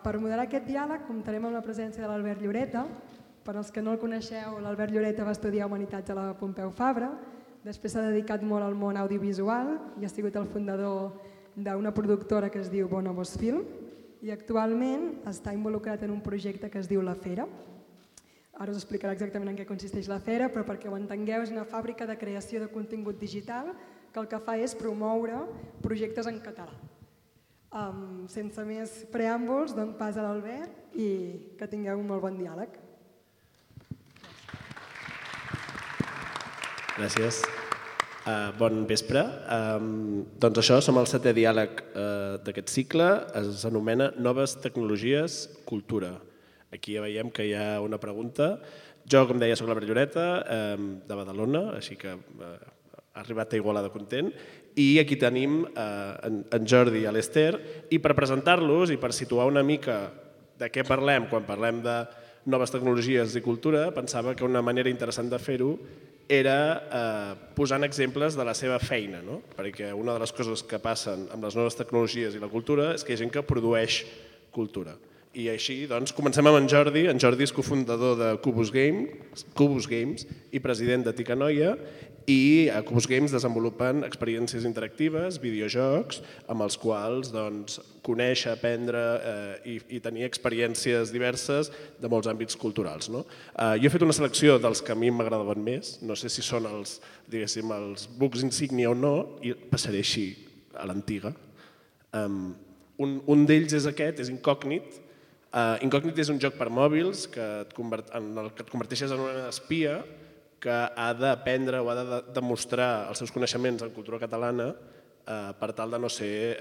Per moderar aquest diàleg comptarem amb la presència de l'Albert Lloreta. Per als que no el coneixeu, l'Albert Lloreta va estudiar Humanitats a la Pompeu Fabra, després s'ha dedicat molt al món audiovisual i ha sigut el fundador d'una productora que es diu Bonobos Film i actualment està involucrat en un projecte que es diu La Fera. Ara us explicarà exactament en què consisteix La Fera, però perquè ho entengueu és una fàbrica de creació de contingut digital que el que fa és promoure projectes en català. Sense més preàmbuls, dono pas a l'Albert i que tingueu un molt bon diàleg. Gràcies. Bon vespre. Doncs això, som al 7è diàleg d'aquest cicle. Es anomena Noves tecnologies, cultura. Aquí ja veiem que hi ha una pregunta. Jo, com deia, soc l'Albert Lloreta, de Badalona, així que ha arribat a Igualada content. I aquí tenim en Jordi i l'Ester. I per presentar-los i per situar una mica de què parlem quan parlem de noves tecnologies i cultura, pensava que una manera interessant de fer-ho era posant exemples de la seva feina, perquè una de les coses que passen amb les noves tecnologies i la cultura és que hi ha gent que produeix cultura. I així, doncs, comencem amb en Jordi. En Jordi és cofundador de Cubus Games i president de Ticanoia, i a Cubus Games desenvolupen experiències interactives, videojocs, amb els quals conèixer, aprendre i tenir experiències diverses de molts àmbits culturals. Jo he fet una selecció dels que a mi m'agradaven més, no sé si són els bucs insígnia o no, i passaré així a l'antiga. Un d'ells és aquest, és Incògnit. Incògnit és un joc per mòbils en el que et converteixes en una espia que ha d'aprendre o ha de demostrar els seus coneixements en cultura catalana per tal de no ser,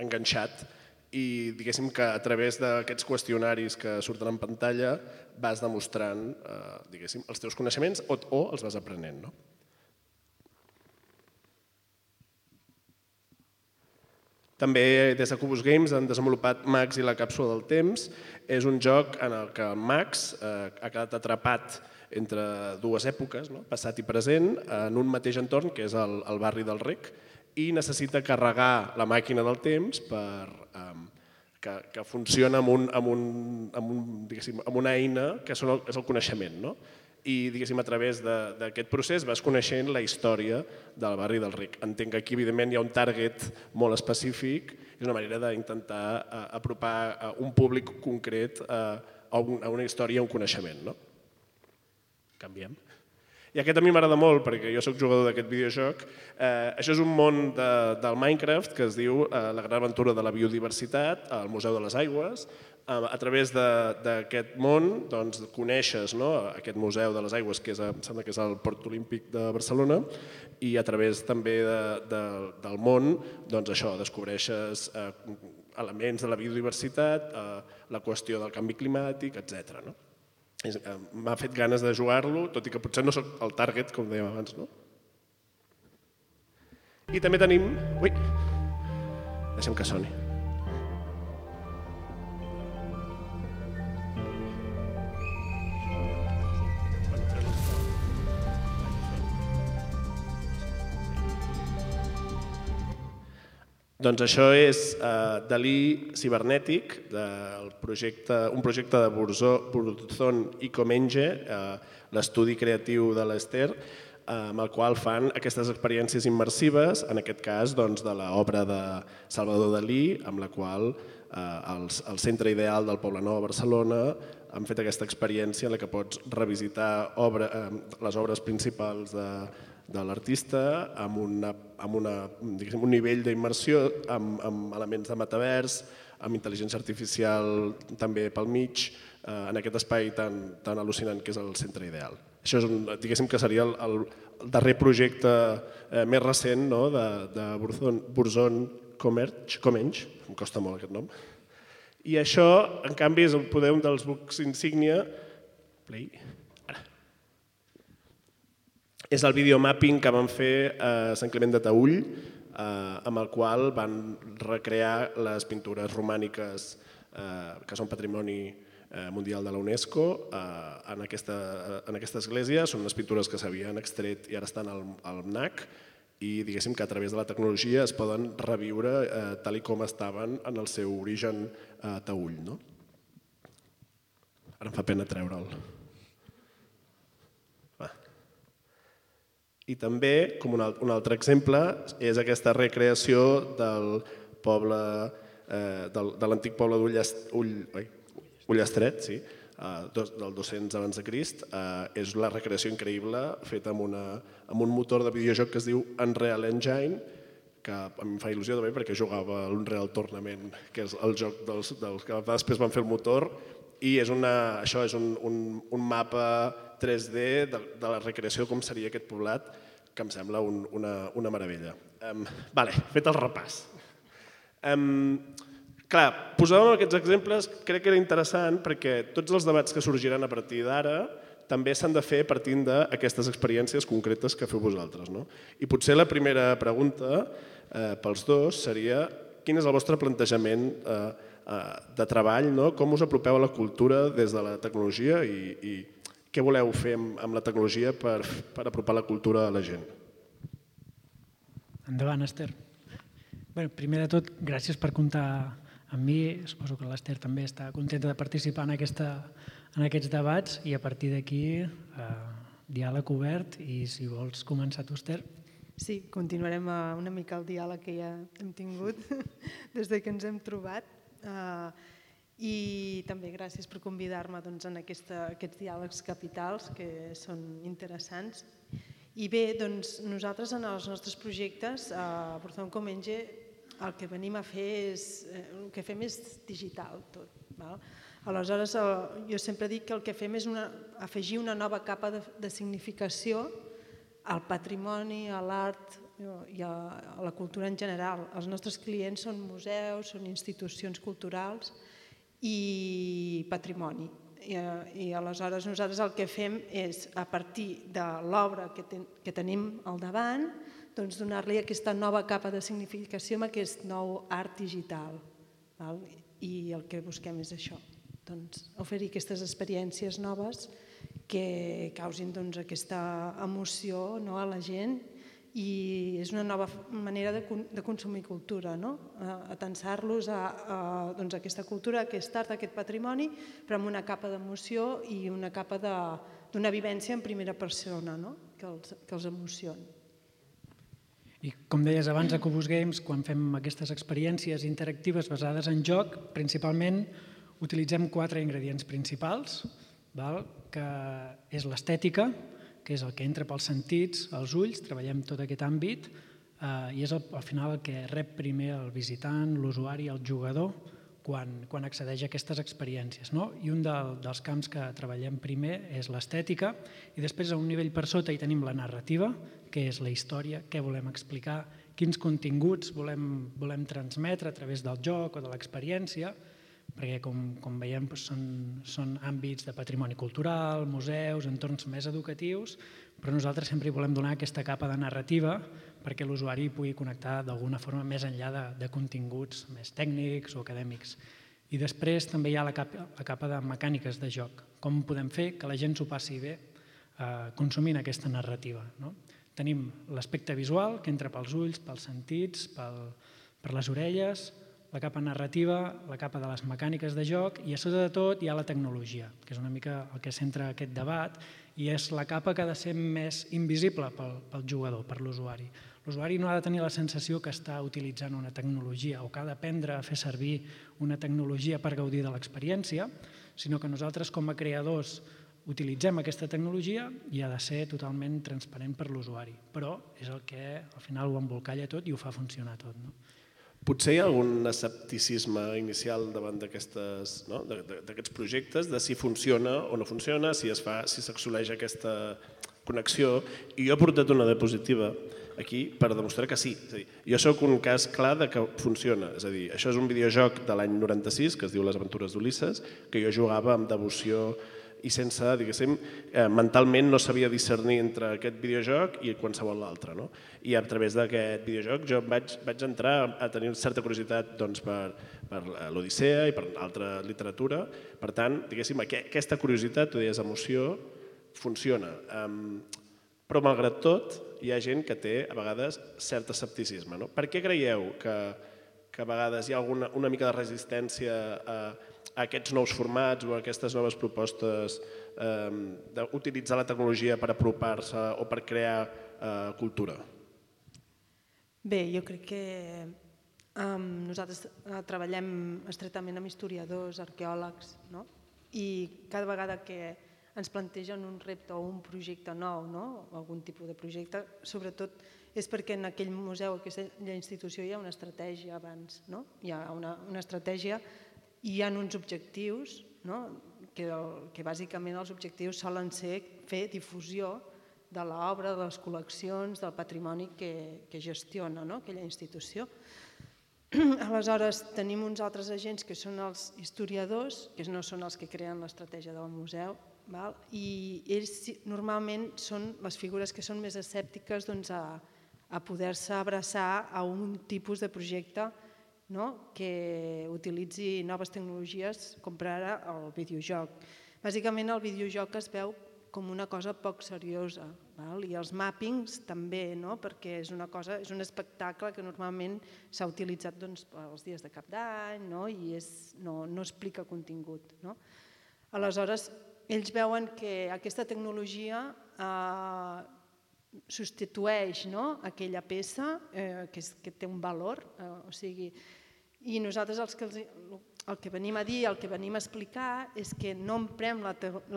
enganxat, i que a través d'aquests qüestionaris que surten en pantalla vas demostrant els teus coneixements o els vas aprenent. També des de Cubus Games han desenvolupat Max i la càpsula del temps. És un joc en el que Max ha quedat atrapat entre dues èpoques, passat i present, en un mateix entorn, que és el barri del Rec, i necessita carregar la màquina del temps que funciona amb una eina que és el coneixement. I a través d'aquest procés vas coneixent la història del barri del Rec. Entenc que aquí evidentment hi ha un target molt específic, és una manera d'intentar apropar un públic concret a una història, a un coneixement. Canviem. I aquest a mi m'agrada molt perquè jo soc jugador d'aquest videojoc. Això és un món del Minecraft que es diu La gran aventura de la biodiversitat al Museu de les Aigües. A través d'aquest món coneixes aquest Museu de les Aigües, que em sembla que és el Port Olímpic de Barcelona, i a través també del món descobreixes elements de la biodiversitat, la qüestió del canvi climàtic, etc. M'ha fet ganes de jugar-lo, tot i que potser no soc el target, com dèiem abans. I també tenim... Ui! Deixem que soni. Doncs això és Dalí cibernètic, un projecte de Burzón i Comenge, l'estudi creatiu de l'Ester, amb el qual fan aquestes experiències immersives, en aquest cas de l'obra de Salvador Dalí, amb la qual el Centre Ideal del Poblenou a Barcelona han fet aquesta experiència en la que pots revisitar les obres principals de l'artista amb un nivell d'immersió, amb elements de metavers, amb intel·ligència artificial també pel mig, en aquest espai tan al·lucinant que és el Centre Ideal. Això que seria el darrer projecte més recent de Burzón Comenge, em costa molt aquest nom. I això, en canvi, és un dels bucs insígnia. Play. És el videomapping que van fer a Sant Climent de Taüll, amb el qual van recrear les pintures romàniques que són patrimoni mundial de la UNESCO en aquesta església. Són unes pintures que s'havien extret i ara estan al MNAC i diguéssim que a través de la tecnologia es poden reviure tal i com estaven en el seu origen taüll. Ara em fa pena treure'l. I també, com un altre exemple, és aquesta recreació del poble, de l'antic poble d'Ullastret, del 200 abans de Crist. És la recreació increïble feta amb un motor de videojoc que es diu Unreal Engine, que a mi em fa il·lusió també perquè jugava a l'Unreal Tournament, que és el joc dels que després van fer el motor, i això és un mapa 3D de la recreació de com seria aquest poblat, que em sembla una meravella. Fet el repàs. Clar, posàvem aquests exemples, crec que era interessant perquè tots els debats que sorgiran a partir d'ara també s'han de fer partint d'aquestes experiències concretes que feu vosaltres. I potser la primera pregunta pels dos seria quin és el vostre plantejament de treball, com us apropeu a la cultura des de la tecnologia i què voleu fer amb la tecnologia per apropar la cultura a la gent? Endavant, Esther. Primer de tot, gràcies per comptar amb mi. Suposo que l'Esther també està contenta de participar en aquests debats i a partir d'aquí diàleg obert i si vols començar tu, Esther. Sí, continuarem una mica el diàleg que ja hem tingut des que ens hem trobat i també gràcies per convidar-me en aquests diàlegs capitals que són interessants. I bé, nosaltres en els nostres projectes a Portón Comenge el que venim a fer el que fem és digital tot. Aleshores jo sempre dic que el que fem és afegir una nova capa de significació al patrimoni, a l'art i a la cultura en general. Els nostres clients són museus, són institucions culturals i patrimoni. I aleshores nosaltres el que fem és, a partir de l'obra que tenim al davant, donar-li aquesta nova capa de significació amb aquest nou art digital. I el que busquem és això, oferir aquestes experiències noves que causin aquesta emoció a la gent i és una nova manera de consumir cultura, atensar-los a aquesta cultura, a aquest art, a aquest patrimoni, però amb una capa d'emoció i una capa d'una vivència en primera persona que els emocioni. I com deies abans, a Cubus Games, quan fem aquestes experiències interactives basades en joc, principalment utilitzem 4 ingredients principals, que és l'estètica, que és el que entra pels sentits, els ulls, treballem tot aquest àmbit i és al final el que rep primer el visitant, l'usuari, el jugador, quan accedeix a aquestes experiències. I un dels camps que treballem primer és l'estètica i després a un nivell per sota hi tenim la narrativa, què és la història, què volem explicar, quins continguts volem transmetre a través del joc o de l'experiència, perquè com veiem són àmbits de patrimoni cultural, museus, entorns més educatius, però nosaltres sempre hi volem donar aquesta capa de narrativa perquè l'usuari pugui connectar d'alguna forma més enllà de continguts més tècnics o acadèmics. I després també hi ha la capa de mecàniques de joc, com podem fer que la gent s'ho passi bé consumint aquesta narrativa. Tenim l'aspecte visual, que entra pels ulls, pels sentits, per les orelles, la capa narrativa, la capa de les mecàniques de joc i a sota de tot hi ha la tecnologia, que és una mica el que centra aquest debat i és la capa que ha de ser més invisible pel jugador, per l'usuari. L'usuari no ha de tenir la sensació que està utilitzant una tecnologia o que ha d'aprendre a fer servir una tecnologia per gaudir de l'experiència, sinó que nosaltres com a creadors utilitzem aquesta tecnologia i ha de ser totalment transparent per l'usuari, però és el que al final ho embolcalla tot i ho fa funcionar tot. Potser hi ha algun escepticisme inicial davant d'aquests projectes, de si funciona o no funciona, si s'assoleix aquesta connexió. I jo he portat una diapositiva aquí per demostrar que sí. Jo soc un cas clar de que funciona. És a dir, això és un videojoc de l'any 96 que es diu Les aventures d'Ulisses, que jo jugava amb devoció i sense, diguéssim, mentalment no sabia discernir entre aquest videojoc i qualsevol altre. I a través d'aquest videojoc jo vaig entrar a tenir certa curiositat per l'Odissea i per altra literatura. Per tant, diguéssim, aquesta curiositat, tu deies emoció, funciona. Però malgrat tot, hi ha gent que té a vegades cert escepticisme. Per què creieu que a vegades hi ha una mica de resistència a aquests nous formats o a aquestes noves propostes d'utilitzar la tecnologia per apropar-se o per crear cultura? Bé, jo crec que nosaltres treballem estretament amb historiadors, arqueòlegs, i cada vegada que ens plantegen un repte o un projecte nou, algun tipus de projecte, sobretot és perquè en aquell museu, en aquella institució, hi ha una estratègia abans. Hi ha una estratègia i hi ha uns objectius, que bàsicament els objectius solen ser fer difusió de l'obra, de les col·leccions, del patrimoni que gestiona aquella institució. Aleshores, tenim uns altres agents que són els historiadors, que no són els que creen l'estratègia del museu, i ells normalment són les figures que són més escèptiques a poder-se abraçar a un tipus de projecte que utilitzi noves tecnologies, com per ara el videojoc. Bàsicament el videojoc es veu com una cosa poc seriosa, i els màppings també, perquè és un espectacle que normalment s'ha utilitzat els dies de cap d'any i no explica contingut. Aleshores, ells veuen que aquesta tecnologia substitueix aquella peça que té un valor, i nosaltres el que venim a dir, el que venim a explicar és que no emprem la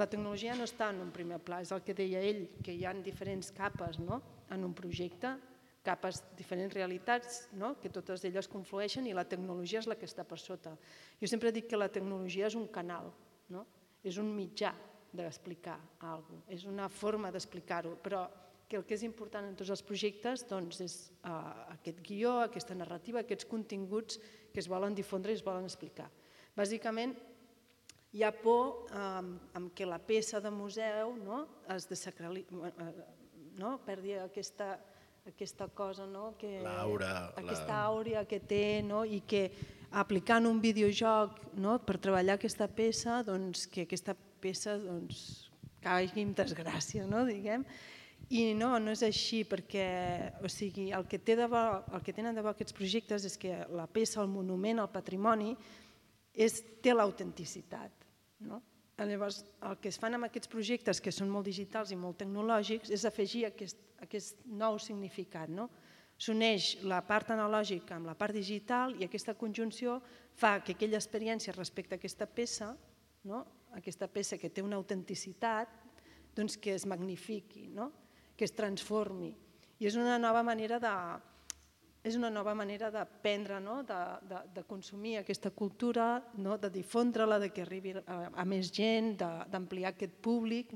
tecnologia, no està en un primer pla, és el que deia ell, que hi ha diferents capes en un projecte, capes, diferents realitats, que totes elles conflueixen i la tecnologia és la que està per sota. Jo sempre dic que la tecnologia és un canal, és un mitjà d'explicar alguna cosa, és una forma d'explicar-ho, però que el que és important en tots els projectes és aquest guió, aquesta narrativa, aquests continguts que es volen difondre i es volen explicar. Bàsicament, hi ha por que la peça de museu es perdi aquesta cosa, aquesta àurea que té, i que aplicant un videojoc per treballar aquesta peça, que aquesta peça caigui en desgràcia, diguem. I no és així, perquè el que tenen de bo aquests projectes és que la peça, el monument, el patrimoni, té l'autenticitat. Llavors, el que es fan amb aquests projectes, que són molt digitals i molt tecnològics, és afegir aquest nou significat. S'uneix la part analògica amb la part digital i aquesta conjunció fa que aquella experiència respecte a aquesta peça que té una autenticitat, que es magnifiqui, que es transformi. I és una nova manera d'aprendre, de consumir aquesta cultura, de difondre-la, que arribi a més gent, d'ampliar aquest públic,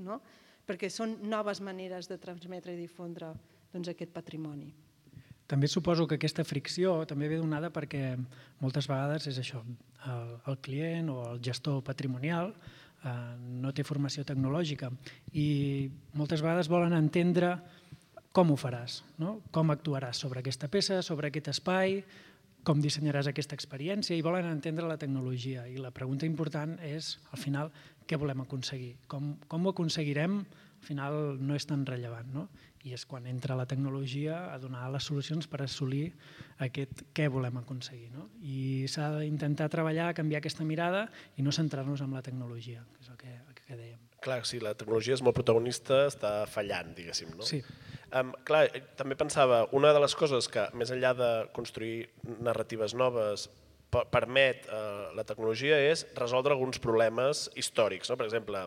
perquè són noves maneres de transmetre i difondre aquest patrimoni. També suposo que aquesta fricció també ve donada perquè moltes vegades és això, el client o el gestor patrimonial no té formació tecnològica i moltes vegades volen entendre com ho faràs, com actuaràs sobre aquesta peça, sobre aquest espai, com dissenyaràs aquesta experiència i volen entendre la tecnologia. I la pregunta important és, al final, què volem aconseguir? Com ho aconseguirem? Al final no és tan rellevant, i és quan entra la tecnologia a donar les solucions per assolir aquest què volem aconseguir. I s'ha d'intentar treballar, canviar aquesta mirada i no centrar-nos en la tecnologia, que és el que dèiem. Clar, si la tecnologia és molt protagonista, està fallant, diguéssim, no? Sí. Clar, també pensava, una de les coses que, més enllà de construir narratives noves, permet la tecnologia és resoldre alguns problemes històrics. Per exemple,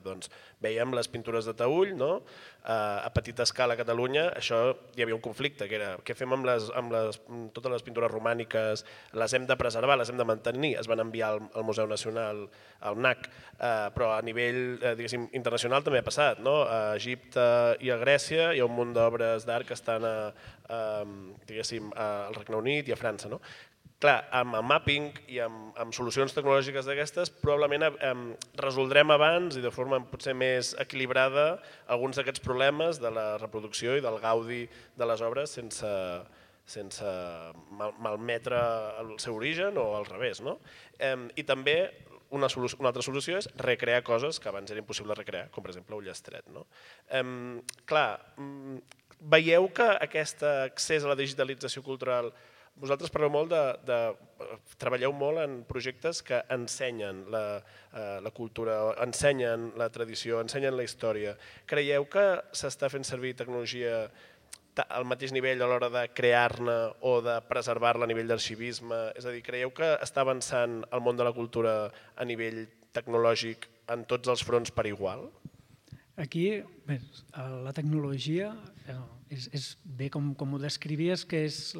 veiem les pintures de Taüll, a petita escala a Catalunya, això hi havia un conflicte, que era què fem amb totes les pintures romàniques, les hem de preservar, les hem de mantenir, es van enviar al Museu Nacional, al NAC, però a nivell internacional també ha passat. A Egipte i a Grècia hi ha un munt d'obres d'art que estan al Regne Unit i a França. Clar, amb el mapping i amb solucions tecnològiques d'aquestes probablement resoldrem abans i de forma potser més equilibrada alguns d'aquests problemes de la reproducció i del gaudi de les obres sense malmetre el seu origen o al revés. I també una altra solució és recrear coses que abans era impossible recrear, com per exemple un llastret. Clar, Veieu que aquest accés a la digitalització cultural, vosaltres parleu molt treballeu molt en projectes que ensenyen la cultura, ensenyen la tradició, ensenyen la història. Creieu que s'està fent servir tecnologia al mateix nivell a l'hora de crear-ne o de preservar-la a nivell d'arxivisme? És a dir, creieu que està avançant el món de la cultura a nivell tecnològic en tots els fronts per igual? Aquí, bé, la tecnologia és bé com ho descrivies, que és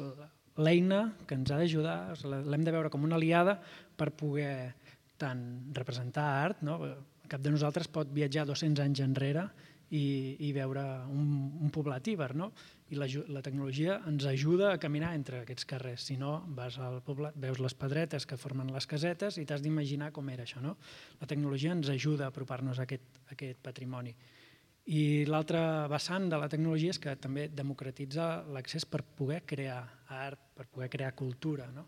l'eina que ens ha d'ajudar, l'hem de veure com una aliada per poder tant representar art, no? Cap de nosaltres pot viatjar 200 anys enrere i veure un poblat íber, no? I la tecnologia ens ajuda a caminar entre aquests carrers. Si no, vas al poblat, veus les pedretes que formen les casetes i t'has d'imaginar com era això, no? La tecnologia ens ajuda a apropar-nos a aquest patrimoni. I l'altre vessant de la tecnologia és que també democratitza l'accés per poder crear art, per poder crear cultura, no?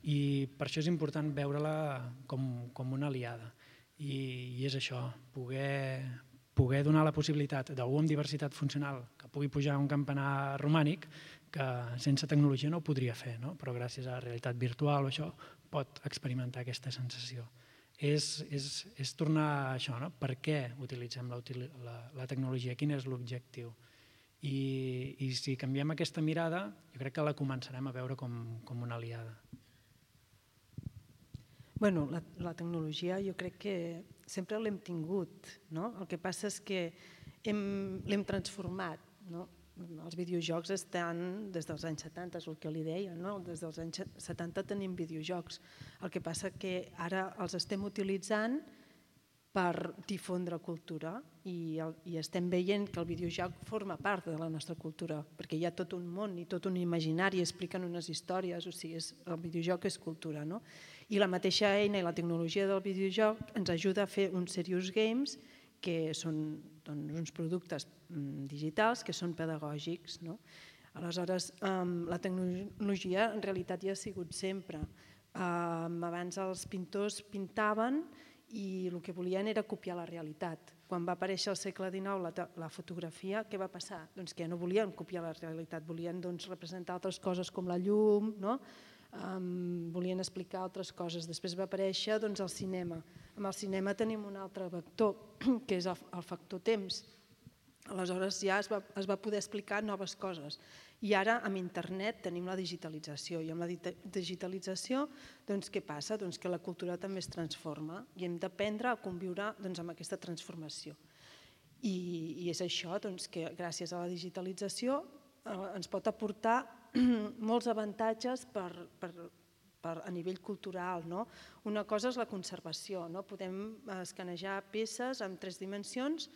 I per això és important veure-la com una aliada. I és això, poder donar la possibilitat d'algú amb diversitat funcional que pugui pujar a un campanar romànic que sense tecnologia no ho podria fer, no? Però gràcies a la realitat virtual o això pot experimentar aquesta sensació. És tornar a això, no? Per què utilitzem la tecnologia? Quin és l'objectiu? I si canviem aquesta mirada, jo crec que la començarem a veure com una aliada. Bueno, la tecnologia jo crec que sempre l'hem tingut, no? El que passa és que l'hem transformat, no? Els videojocs estan des dels anys 70, és el que li deia, no? Des dels anys 70 tenim videojocs. El que passa que ara els estem utilitzant per difondre cultura i estem veient que el videojoc forma part de la nostra cultura, perquè hi ha tot un món i tot un imaginari, expliquen unes històries, o sigui, el videojoc és cultura, no? I la mateixa eina i la tecnologia del videojoc ens ajuda a fer uns serious games que són uns productes digitals que són pedagògics, no? Aleshores, la tecnologia en realitat ja ha sigut sempre. Abans els pintors pintaven i el que volien era copiar la realitat. Quan va aparèixer al segle XIX la fotografia, què va passar? Doncs que ja no volien copiar la realitat, volien representar altres coses com la llum, no? Volien explicar altres coses. Després va aparèixer el cinema. Amb el cinema tenim un altre vector, que és el factor temps. Aleshores ja es va poder explicar noves coses. I ara amb internet tenim la digitalització. I amb la digitalització què passa? Que la cultura també es transforma i hem d'aprendre a conviure amb aquesta transformació. I és això que gràcies a la digitalització ens pot aportar molts avantatges a nivell cultural. Una cosa és la conservació. Podem escanejar peces en 3 dimensions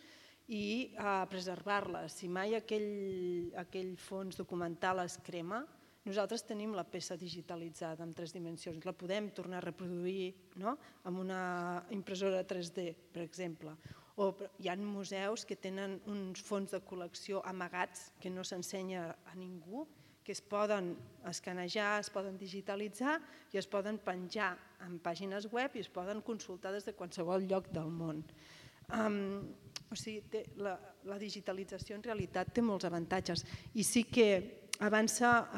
i preservar-les. Si mai aquell fons documental es crema, nosaltres tenim la peça digitalitzada en 3 dimensions. La podem tornar a reproduir amb una impressora 3D, per exemple. O hi ha museus que tenen uns fons de col·lecció amagats que no s'ensenya a ningú, que es poden escanejar, es poden digitalitzar i es poden penjar en pàgines web i es poden consultar des de qualsevol lloc del món. O sigui, la digitalització en realitat té molts avantatges i sí que avança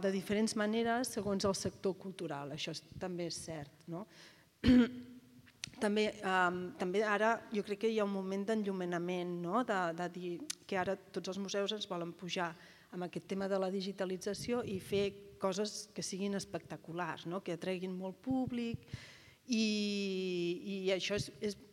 de diferents maneres segons el sector cultural, això també és cert. També ara jo crec que hi ha un moment d'enllumenament, de dir que ara tots els museus ens volen pujar amb aquest tema de la digitalització i fer coses que siguin espectaculars, que atreguin molt públic i això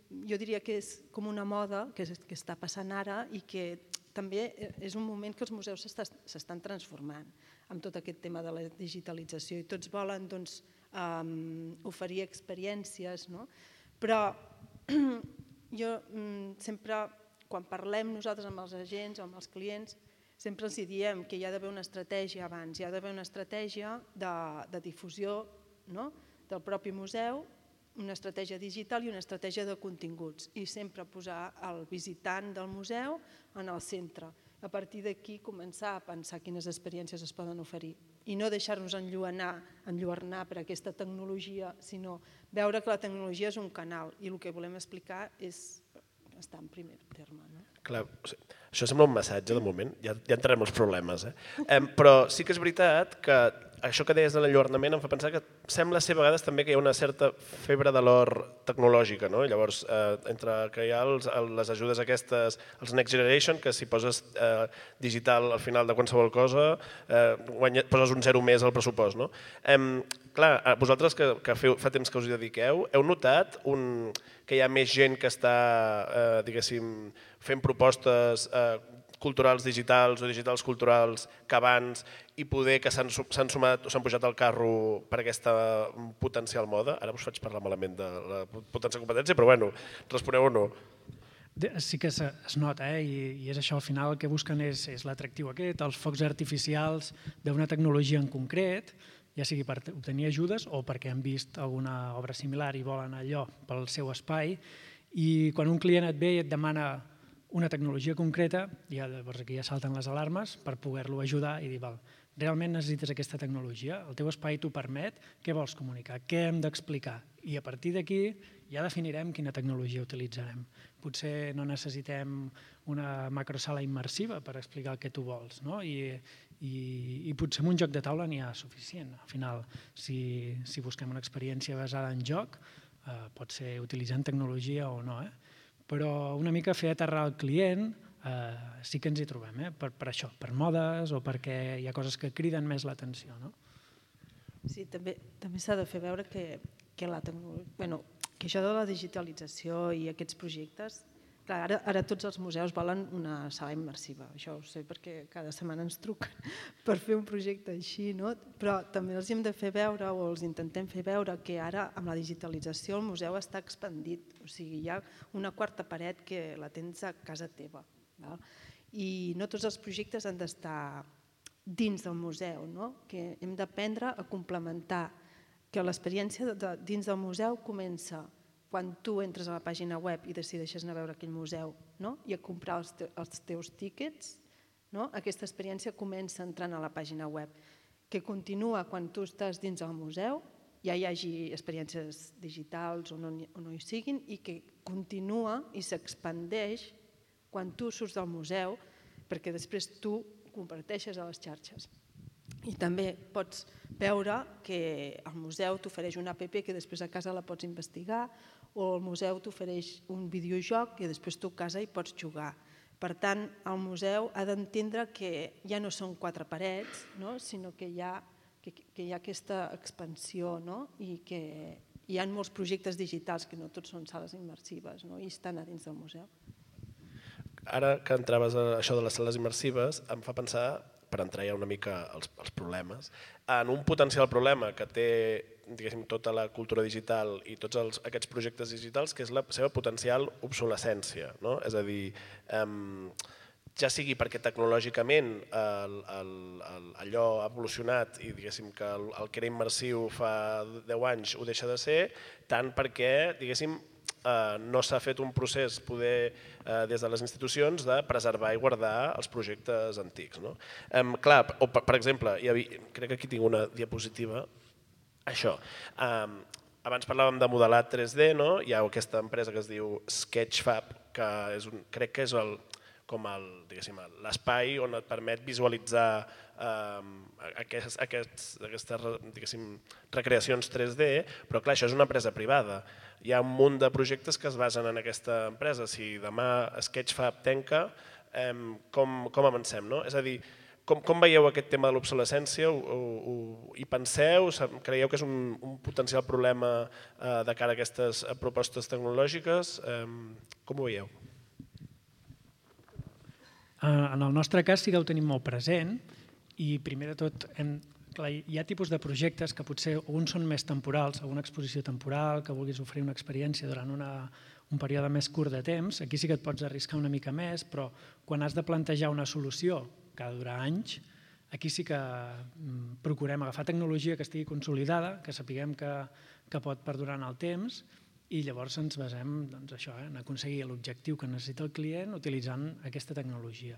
jo diria que és com una moda que està passant ara i que també és un moment que els museus s'estan transformant amb tot aquest tema de la digitalització i tots volen oferir experiències, però jo sempre, quan parlem nosaltres amb els agents o amb els clients, sempre els diem que hi ha d'haver una estratègia abans, hi ha d'haver una estratègia de difusió del propi museu, una estratègia digital i una estratègia de continguts i sempre posar el visitant del museu en el centre. A partir d'aquí començar a pensar quines experiències es poden oferir i no deixar-nos enlluernar per aquesta tecnologia, sinó veure que la tecnologia és un canal i el que volem explicar és està en primer terme. No? Clar, això sembla un massatge de moment, ja entrarem als problemes. Però sí que és veritat que això que deies de l'enlluernament em fa pensar que sembla ser a vegades també que hi ha una certa febre de l'or tecnològica. No? Llavors, entre que hi ha les ajudes aquestes, els Next Generation, que si poses digital al final de qualsevol cosa, poses un zero més al pressupost. No? Clar, vosaltres que fa temps que us hi dediqueu, heu notat que hi ha més gent que està, diguéssim, fent propostes culturals digitals o digitals culturals que abans i poder que s'han sumat o s'han pujat al carro per aquesta potencial moda? Ara us faig parlar malament de la potencial competència, però bueno, responeu o no. Sí que es nota, i és això, al final el que busquen és l'atractiu aquest, els focs artificials d'una tecnologia en concret, ja sigui per obtenir ajudes o perquè han vist alguna obra similar i volen allò pel seu espai, i quan un client et ve i et demana una tecnologia concreta, llavors aquí ja salten les alarmes per poder-lo ajudar i dir, realment necessites aquesta tecnologia, el teu espai t'ho permet, què vols comunicar, què hem d'explicar? I a partir d'aquí ja definirem quina tecnologia utilitzarem. Potser no necessitem una macrosala immersiva per explicar el que tu vols, no? I potser amb un joc de taula n'hi ha suficient. Al final, si busquem una experiència basada en joc, pot ser utilitzant tecnologia o no, però una mica fer aterrar el client sí que ens hi trobem, per això, per modes o perquè hi ha coses que criden més l'atenció. Sí, també s'ha de fer veure que això de la digitalització i aquests projectes, clar, ara tots els museus volen una sala immersiva, això ho sé perquè cada setmana ens truquen per fer un projecte així, no? Però també els hem de fer veure o els intentem fer veure que ara amb la digitalització el museu està expandit, o sigui, hi ha una quarta paret que la tens a casa teva. I no tots els projectes han d'estar dins del museu, que hem d'aprendre a complementar, que l'experiència dins del museu comença quan tu entres a la pàgina web i decideixes anar a veure aquell museu i a comprar els teus tíquets, aquesta experiència comença entrant a la pàgina web, que continua quan tu estàs dins del museu, ja hi hagi experiències digitals o no hi siguin, i que continua i s'expandeix quan tu surts del museu, perquè després tu comparteixes a les xarxes. I també pots veure que el museu t'ofereix una app que després a casa la pots investigar, o el museu t'ofereix un videojoc que després tu a casa hi pots jugar. Per tant, el museu ha d'entendre que ja no són quatre parets, sinó que hi ha aquesta expansió i que hi ha molts projectes digitals que no tots són sales immersives i estan a dins del museu. Ara que entraves a això de les sales immersives, em fa pensar, per entrar ja una mica als problemes, en un potencial problema que té, diguéssim, tota la cultura digital i tots aquests projectes digitals, que és la seva potencial obsolescència. És a dir, ja sigui perquè tecnològicament allò ha evolucionat i diguéssim que el que era immersiu fa 10 anys ho deixa de ser, tant perquè, diguéssim, no s'ha fet un procés des de les institucions de preservar i guardar els projectes antics. Clar, per exemple, crec que aquí tinc una diapositiva, això. Abans parlàvem de modelat 3D, hi ha aquesta empresa que es diu Sketchfab, que crec que és l'espai on et permet visualitzar aquestes recreacions 3D, però clar, això és una empresa privada. Hi ha un munt de projectes que es basen en aquesta empresa. Si demà Sketchfab tanca, com avancem? És a dir, com veieu aquest tema de l'obsolescència? Hi penseu? Creieu que és un potencial problema de cara a aquestes propostes tecnològiques? Com ho veieu? En el nostre cas sí que ho tenim molt present i primer de tot hi ha tipus de projectes que potser uns són més temporals, alguna exposició temporal, que vulguis oferir una experiència durant un període més curt de temps, aquí sí que et pots arriscar una mica més, però quan has de plantejar una solució que ha de durar anys, aquí sí que procurem agafar tecnologia que estigui consolidada, que sapiguem que pot perdurar en el temps, i llavors ens basem en aconseguir l'objectiu que necessita el client utilitzant aquesta tecnologia.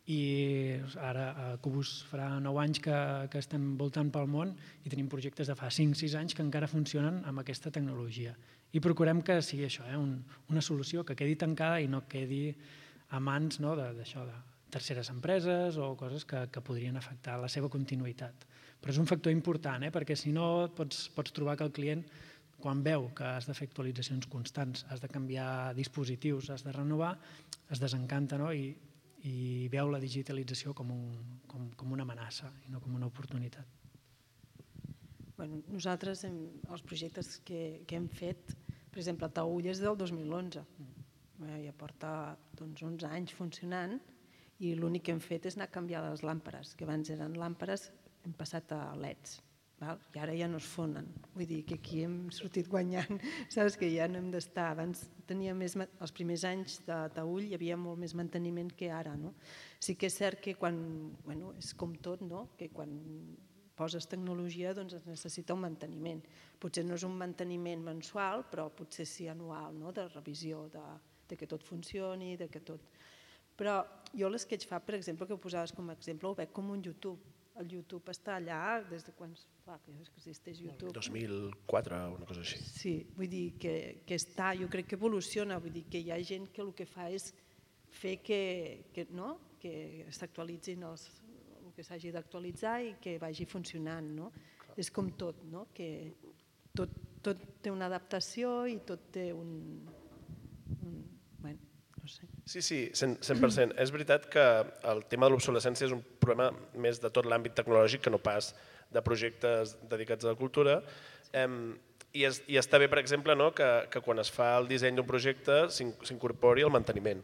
i ara a Cubus farà 9 anys que estem voltant pel món i tenim projectes de fa 5-6 anys que encara funcionen amb aquesta tecnologia. I procurem que sigui això, una solució que quedi tancada i no quedi a mans de terceres empreses o coses que podrien afectar la seva continuïtat. Però és un factor important, perquè si no pots trobar que el client, quan veu que has de fer actualitzacions constants, has de canviar dispositius, has de renovar, es desencanta i veu la digitalització com una amenaça i no com una oportunitat. Nosaltres, els projectes que hem fet, per exemple, Taüll és del 2011, ja porta 11 anys funcionant i l'únic que hem fet és anar a canviar les làmperes, que abans eren làmperes, hem passat a LEDs i ara ja no es fonen. Vull dir que aquí hem sortit guanyant, saps que ja no hem d'estar. Abans els primers anys de Taüll hi havia molt més manteniment que ara. Sí que és cert que és com tot, que quan poses tecnologia es necessita un manteniment. Potser no és un manteniment mensual, però potser sí anual, de revisió, que tot funcioni, que tot... Però jo l'Sketchfab, per exemple, que ho posaves com a exemple, ho veig com un YouTube. El YouTube està allà des de quan existeix YouTube. 2004, una cosa així. Sí, vull dir que està, jo crec que evoluciona, vull dir que hi ha gent que el que fa és fer que s'actualitzin el que s'hagi d'actualitzar i que vagi funcionant. És com tot, que tot té una adaptació i tot té un... Sí, 100%. És veritat que el tema de l'obsolescència és un problema més de tot l'àmbit tecnològic que no pas de projectes dedicats a la cultura. I està bé, per exemple, que quan es fa el disseny d'un projecte s'incorpori el manteniment.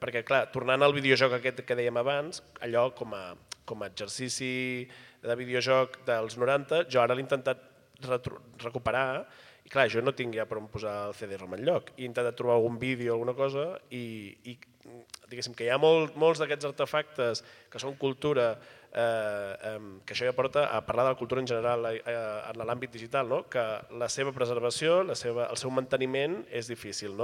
Perquè, clar, tornant al videojoc aquest que dèiem abans, allò com a exercici de videojoc dels 90, jo ara l'he intentat recuperar i clar, jo no tinc ja per on posar el CD-ROM enlloc. He intentat trobar algun vídeo o alguna cosa i diguéssim que hi ha molts d'aquests artefactes que són cultura, que això ja porta a parlar de la cultura en general en l'àmbit digital, que la seva preservació, el seu manteniment és difícil.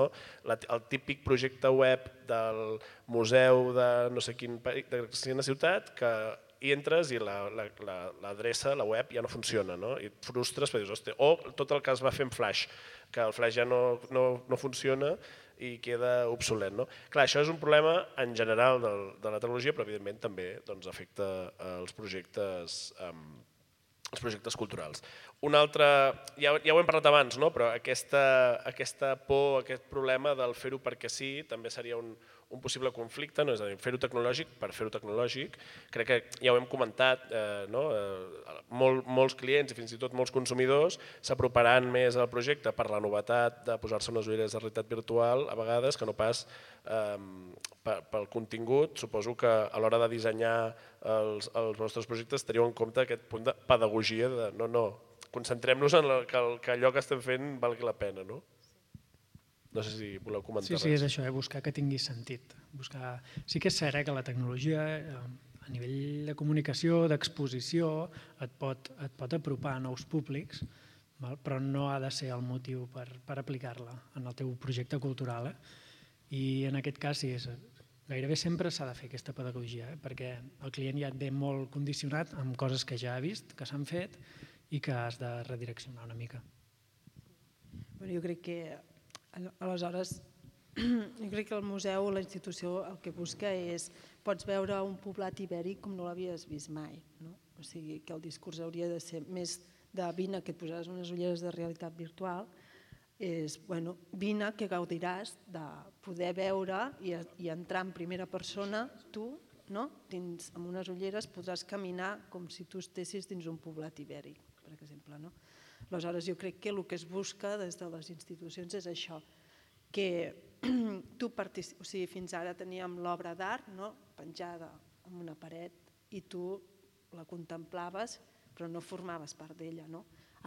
El típic projecte web del museu de no sé quina ciutat que hi entres i l'adreça, la web, ja no funciona, i et frustres perquè dius, hòstia, o tot el que es va fer en Flash, que el Flash ja no funciona i queda obsolet. Clar, això és un problema en general de la tecnologia, però evidentment també afecta els projectes culturals. Un altre, ja ho hem parlat abans, però aquesta por, aquest problema del fer-ho perquè sí, també seria un possible conflicte, és a dir, fer-ho tecnològic per fer-ho tecnològic. Crec que ja ho hem comentat, molts clients i fins i tot molts consumidors s'aproparan més al projecte per la novetat de posar-se unes ulleres de realitat virtual a vegades que no pas pel contingut. Suposo que a l'hora de dissenyar els vostres projectes teniu en compte aquest punt de pedagogia de no, concentrem-nos en que allò que estem fent valgui la pena, no? No sé si voleu comentar res. Sí, és això, buscar que tingui sentit. Sí que és cert que la tecnologia a nivell de comunicació, d'exposició, et pot apropar a nous públics, però no ha de ser el motiu per aplicar-la en el teu projecte cultural. I en aquest cas gairebé sempre s'ha de fer aquesta pedagogia, perquè el client ja et ve molt condicionat amb coses que ja ha vist, que s'han fet i que has de redireccionar una mica. Jo crec que aleshores, jo crec que el museu o la institució el que busca és, pots veure un poblat ibèric com no l'havies vist mai. O sigui que el discurs hauria de ser més de vine que et posaràs unes ulleres de realitat virtual, és vine que gaudiràs de poder veure i entrar en primera persona, tu, amb unes ulleres podràs caminar com si tu estessis dins un poblat ibèric, per exemple. Aleshores, jo crec que el que es busca des de les institucions és això, que tu participis, o sigui, fins ara teníem l'obra d'art penjada en una paret i tu la contemplaves però no formaves part d'ella.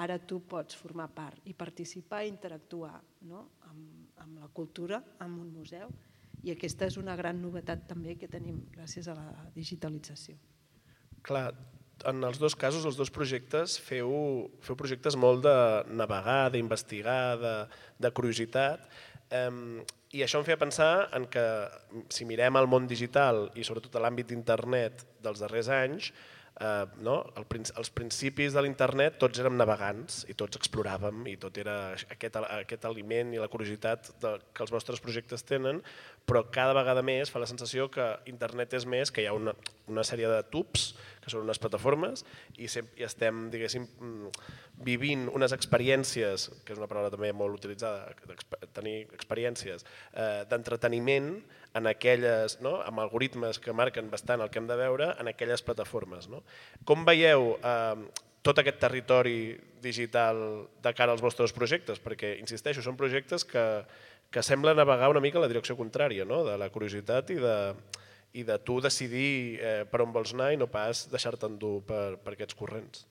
Ara tu pots formar part i participar i interactuar amb la cultura, amb un museu, i aquesta és una gran novetat també que tenim gràcies a la digitalització. Clar, en els dos casos, els dos projectes, feu projectes molt de navegar, d'investigar, de curiositat. I això em feia pensar en que si mirem el món digital i sobretot l'àmbit d'internet dels darrers anys, els principis de l'internet tots érem navegants i tots exploràvem i tot era aquest aliment i la curiositat que els vostres projectes tenen, però cada vegada més fa la sensació que internet és més, que hi ha una sèrie de tubs, que són unes plataformes, i estem, diguéssim, vivint unes experiències, que és una paraula també molt utilitzada, tenir experiències d'entreteniment en aquelles, amb algoritmes que marquen bastant el que hem de veure en aquelles plataformes. Com veieu tot aquest territori digital de cara als vostres projectes? Perquè, insisteixo, són projectes que semblen navegar una mica en la direcció contrària, de la curiositat i de tu decidir per on vols anar i no pas deixar-te endur per aquests corrents.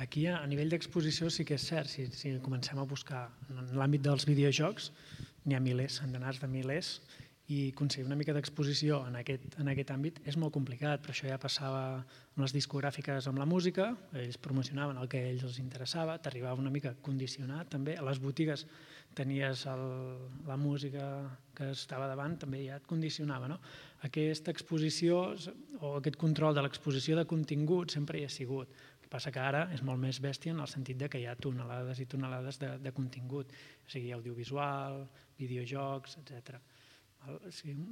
Aquí, a nivell d'exposició, sí que és cert. Si comencem a buscar en l'àmbit dels videojocs, n'hi ha milers, centenars de milers, i aconseguir una mica d'exposició en aquest àmbit és molt complicat, però això ja passava amb les discogràfiques amb la música, ells promocionaven el que a ells els interessava, t'arribava una mica condicionat també, a les botigues tenies la música que estava davant, també ja et condicionava. Aquesta exposició o aquest control de l'exposició de contingut sempre hi ha sigut. El que passa que ara és molt més bèstia en el sentit que hi ha tonelades i tonelades de contingut, o sigui, audiovisual, videojocs, etc.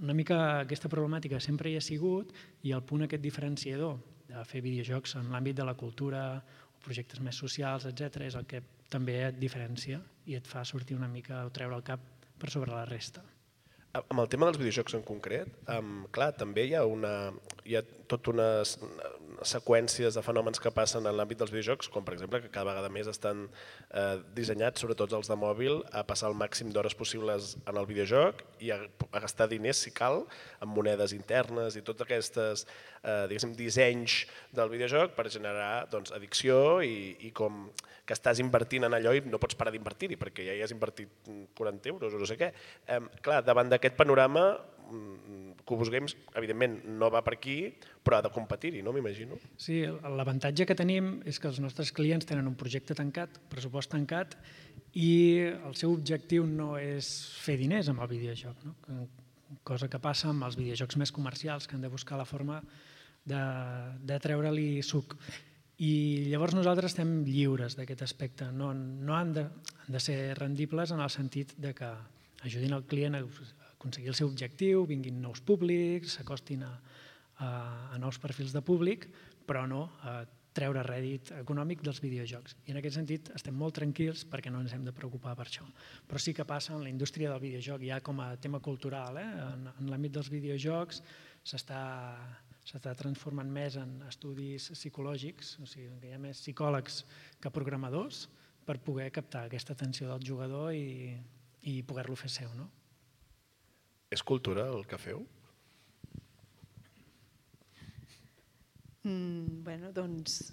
Una mica aquesta problemàtica sempre hi ha sigut i el punt aquest diferenciador de fer videojocs en l'àmbit de la cultura o projectes més socials, etc., és el que també et diferencia i et fa sortir una mica o treure el cap per sobre la resta. Amb el tema dels videojocs en concret, clar, també hi ha tot unes seqüències de fenòmens que passen en l'àmbit dels videojocs, com per exemple que cada vegada més estan dissenyats, sobretot els de mòbil, a passar el màxim d'hores possibles en el videojoc i a gastar diners, si cal, en monedes internes i tots aquests dissenys del videojoc per generar addicció i com que estàs invertint en allò i no pots parar d'invertir-hi perquè ja hi has invertit 40 euros o no sé què. Clar, davant d'aquest panorama, Qubus Games, evidentment, no va per aquí, però ha de competir-hi, no m'imagino? Sí, l'avantatge que tenim és que els nostres clients tenen un projecte tancat, pressupost tancat, i el seu objectiu no és fer diners amb el videojoc, cosa que passa amb els videojocs més comercials, que han de buscar la forma de treure-li suc. I llavors nosaltres estem lliures d'aquest aspecte, no han de ser rendibles en el sentit que ajudin el client a aconseguir el seu objectiu, vinguin nous públics, s'acostin a nous perfils de públic, però no a treure rèdit econòmic dels videojocs. I en aquest sentit estem molt tranquils perquè no ens hem de preocupar per això. Però sí que passa en la indústria del videojoc, ja com a tema cultural, en l'àmbit dels videojocs s'està transformant més en estudis psicològics, o sigui que hi ha més psicòlegs que programadors per poder captar aquesta atenció del jugador i poder-lo fer seu. És cultura el que feu? Bé, doncs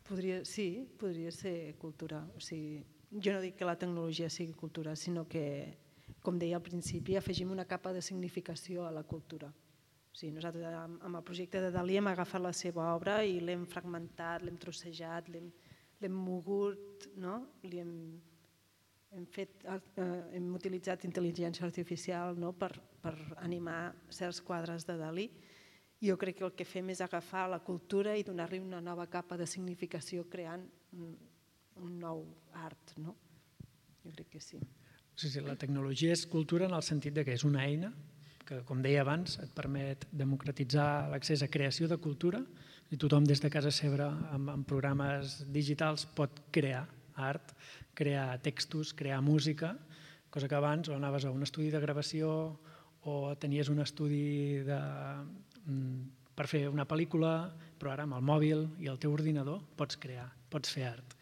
podria ser cultura. O sigui, jo no dic que la tecnologia sigui cultura, sinó que, com deia al principi, afegim una capa de significació a la cultura. O sigui, nosaltres amb el projecte de Dalí hem agafat la seva obra i l'hem fragmentat, l'hem trossejat, l'hem mogut, hem utilitzat intel·ligència artificial per animar certs quadres de Dalí. Jo crec que el que fem és agafar la cultura i donar-li una nova capa de significació creant un nou art. Jo crec que sí. Sí, la tecnologia és cultura en el sentit que és una eina que, com deia abans, et permet democratitzar l'accés a creació de cultura i tothom des de casa seva amb programes digitals pot crear art, crear textos, crear música, cosa que abans o anaves a un estudi de gravació o tenies un estudi per fer una pel·lícula, però ara amb el mòbil i el teu ordinador pots crear, pots fer art.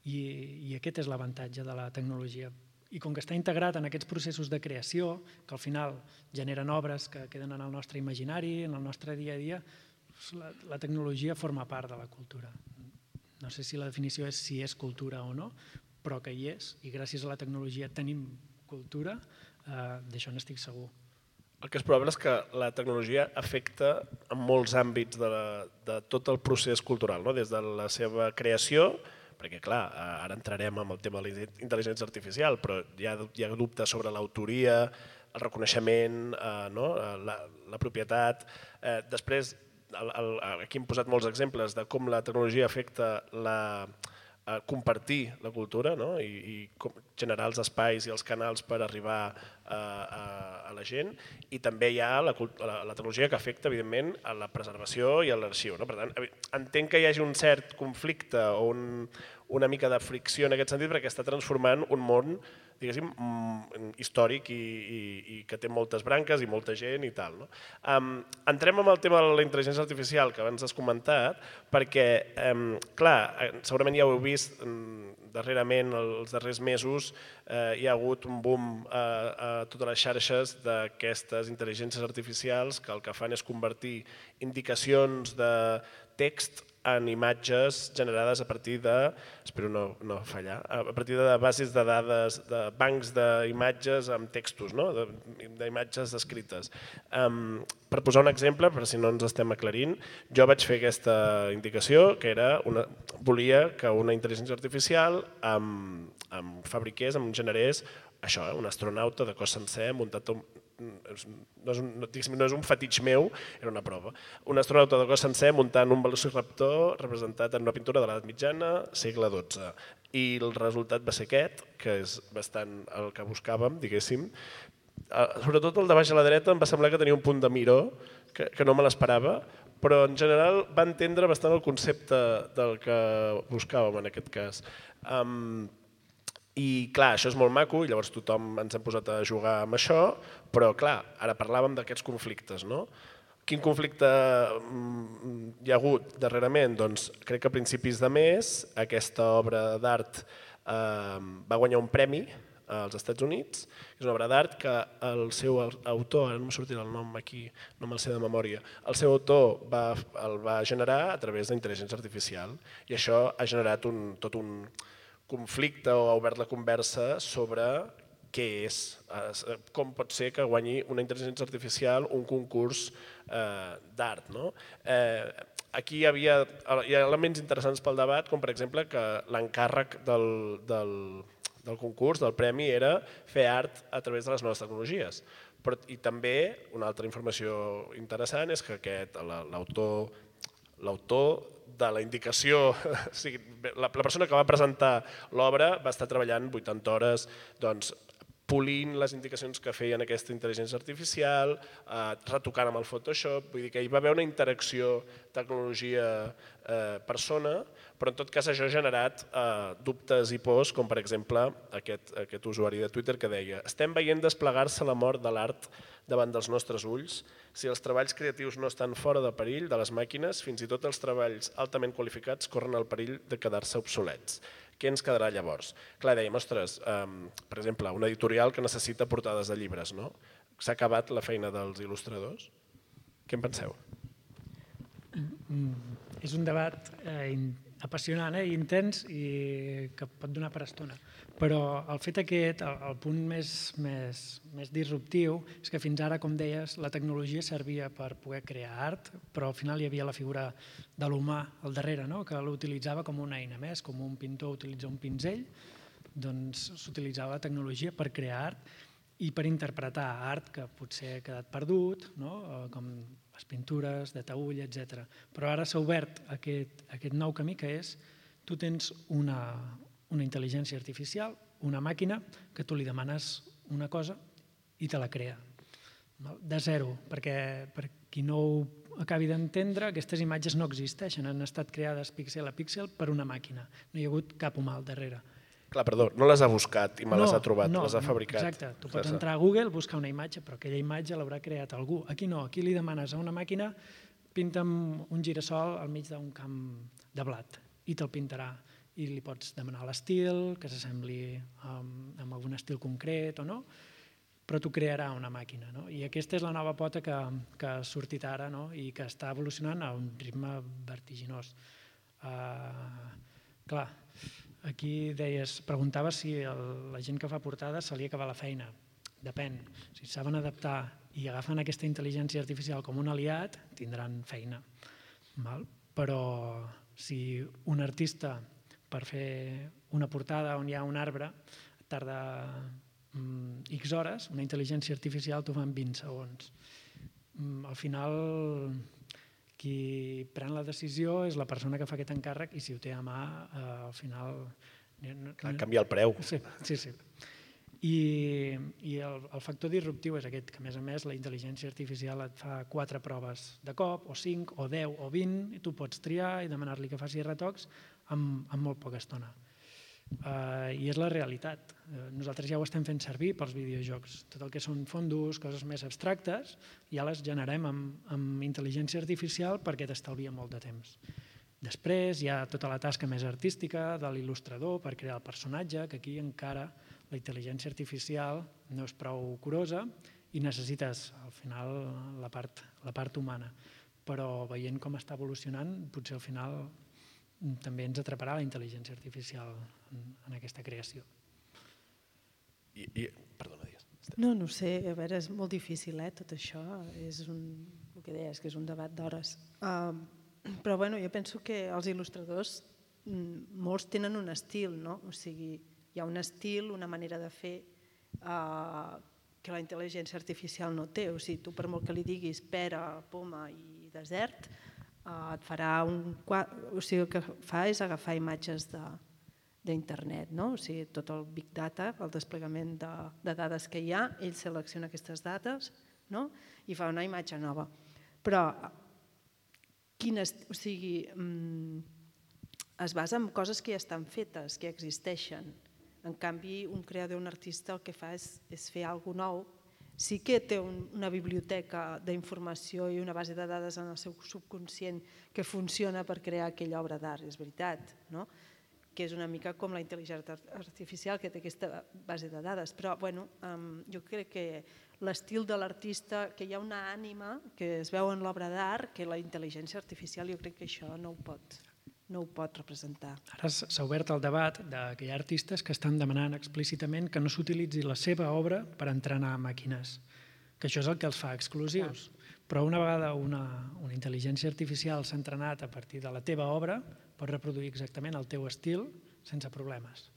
I aquest és l'avantatge de la tecnologia. I com que està integrat en aquests processos de creació, que al final generen obres que queden en el nostre imaginari, en el nostre dia a dia, la tecnologia forma part de la cultura. No sé si la definició és si és cultura o no, però que hi és, i gràcies a la tecnologia tenim cultura, d'això n'estic segur. El que és probable és que la tecnologia afecta en molts àmbits de tot el procés cultural, des de la seva creació, perquè clar, ara entrarem amb el tema de la intel·ligència artificial, però hi ha dubtes sobre l'autoria, el reconeixement, la propietat. Després, aquí hem posat molts exemples de com la tecnologia afecta compartir la cultura i generar els espais i els canals per arribar a la gent, i també hi ha la tecnologia que afecta, evidentment, a la preservació i a l'arxiu. Per tant, entenc que hi hagi un cert conflicte o una mica de fricció en aquest sentit perquè està transformant un món, diguéssim, històric i que té moltes branques i molta gent i tal. Entrem en el tema de la intel·ligència artificial que abans has comentat, perquè, clar, segurament ja ho heu vist darrerament, els darrers mesos, hi ha hagut un boom a totes les xarxes d'aquestes intel·ligències artificials que el que fan és convertir indicacions de text en imatges generades a partir de, espero no fallar, a partir de bases de dades, de bancs d'imatges amb textos, d'imatges escrites. Per posar un exemple, per si no ens estem aclarint, jo vaig fer aquesta indicació que volia que una intel·ligència artificial em fabriqués, em generés això, un astronauta de cos sencer muntat no és un fetitx meu, era una prova. Un astronauta de cos sencer muntant un velociraptor representat en una pintura de l'edat mitjana, segle XII. I el resultat va ser aquest, que és bastant el que buscàvem, diguéssim. Sobretot el de baix a la dreta em va semblar que tenia un punt de miró, que no me l'esperava, però en general va entendre bastant el concepte del que buscàvem en aquest cas. I clar, això és molt maco i llavors tothom ens hem posat a jugar amb això, però clar, ara parlàvem d'aquests conflictes, no? Quin conflicte hi ha hagut darrerament? Doncs crec que a principis de mes aquesta obra d'art va guanyar un premi als Estats Units. És una obra d'art que el seu autor, ara no em sortirà el nom aquí, no me'l sé de memòria, el seu autor el va generar a través d'intel·ligència artificial i això ha generat tot un conflicte o ha obert la conversa sobre què és, com pot ser que guanyi una intel·ligència artificial un concurs d'art. Aquí hi ha elements interessants pel debat, com per exemple que l'encàrrec del concurs, del premi, era fer art a través de les noves tecnologies. I també una altra informació interessant és que l'autor de la indicació, la persona que va presentar l'obra va estar treballant 80 hores polint les indicacions que feien aquesta intel·ligència artificial, retocant amb el Photoshop, vull dir que hi va haver una interacció tecnologia-persona, però en tot cas això ha generat dubtes i pors, com per exemple aquest usuari de Twitter que deia: estem veient desplegar-se la mort de l'art davant dels nostres ulls. Si els treballs creatius no estan fora de perill de les màquines, fins i tot els treballs altament qualificats corren el perill de quedar-se obsolets. Què ens quedarà llavors? Clar, dèiem, ostres, per exemple, una editorial que necessita portades de llibres, no? S'ha acabat la feina dels il·lustradors? Què en penseu? És un debat apassionant i intens i que pot donar per estona. Però el fet aquest, el punt més disruptiu, és que fins ara, com deies, la tecnologia servia per poder crear art, però al final hi havia la figura de l'humà al darrere, que l'utilitzava com una eina més, com un pintor utilitza un pinzell, doncs s'utilitzava la tecnologia per crear art i per interpretar art que potser ha quedat perdut, com les pintures de taüll, etc. Però ara s'ha obert aquest nou camí que és tu tens una intel·ligència artificial, una màquina, que tu li demanes una cosa i te la crea. De zero, perquè per qui no ho acabi d'entendre, aquestes imatges no existeixen, han estat creades píxel a píxel per una màquina. No hi ha hagut cap humà al darrere. Clar, perdó, no les ha buscat i me les ha trobat, les ha fabricat. Exacte, tu pots entrar a Google, buscar una imatge, però aquella imatge l'haurà creat algú. Aquí no, aquí li demanes a una màquina pinta'm un girassol al mig d'un camp de blat i te'l pintarà. I li pots demanar l'estil, que s'assembli amb algun estil concret o no, però t'ho crearà una màquina. I aquesta és la nova pota que ha sortit ara i que està evolucionant a un ritme vertiginós. Clar, aquí preguntaves si la gent que fa portades se li acaba la feina. Depèn. Si saben adaptar i agafen aquesta intel·ligència artificial com un aliat, tindran feina. Però si un artista per fer una portada on hi ha un arbre, tarda X hores, una intel·ligència artificial t'ho fa en 20 segons. Al final, qui pren la decisió és la persona que fa aquest encàrrec i si ho té a mà, al final... Canvia el preu. Sí. I el factor disruptiu és aquest, que a més la intel·ligència artificial et fa 4 proves de cop, o 5, o 10, o 20, i tu pots triar i demanar-li que faci retocs en molt poca estona. I és la realitat. Nosaltres ja ho estem fent servir pels videojocs. Tot el que són fondos, coses més abstractes, ja les generem amb intel·ligència artificial perquè t'estalvia molt de temps. Després hi ha tota la tasca més artística de l'il·lustrador per crear el personatge, que aquí encara la intel·ligència artificial no és prou curosa i necessites al final la part humana. Però veient com està evolucionant, potser al final també ens atraparà la intel·ligència artificial en aquesta creació. Perdona, digues. No ho sé, a veure, és molt difícil, tot això. El que deies, que és un debat d'hores. Però bueno, jo penso que els il·lustradors, molts tenen un estil, no? O sigui, hi ha un estil, una manera de fer que la intel·ligència artificial no té. O sigui, tu per molt que li diguis pera, poma i desert, et farà o sigui, el que fa és agafar imatges d'internet, no? O sigui, tot el big data, el desplegament de dades que hi ha, ell selecciona aquestes dades, no? I fa una imatge nova. Però o sigui, es basa en coses que ja estan fetes, que existeixen. En canvi, un creador, un artista, el que fa és fer alguna cosa nou. Sí que té una biblioteca d'informació i una base de dades en el seu subconscient que funciona per crear aquella obra d'art, és veritat, no? Que és una mica com la intel·ligència artificial que té aquesta base de dades. Però bueno, jo crec que l'estil de l'artista, que hi ha una ànima que es veu en l'obra d'art, que la intel·ligència artificial jo crec que això no ho pot representar. Ara s'ha obert el debat que hi ha artistes que estan demanant explícitament que no s'utilitzi la seva obra per entrenar màquines, que això és el que els fa exclusius. Però una vegada una intel·ligència artificial s'ha entrenat a partir de la teva obra, pot reproduir exactament el teu estil sense problemes.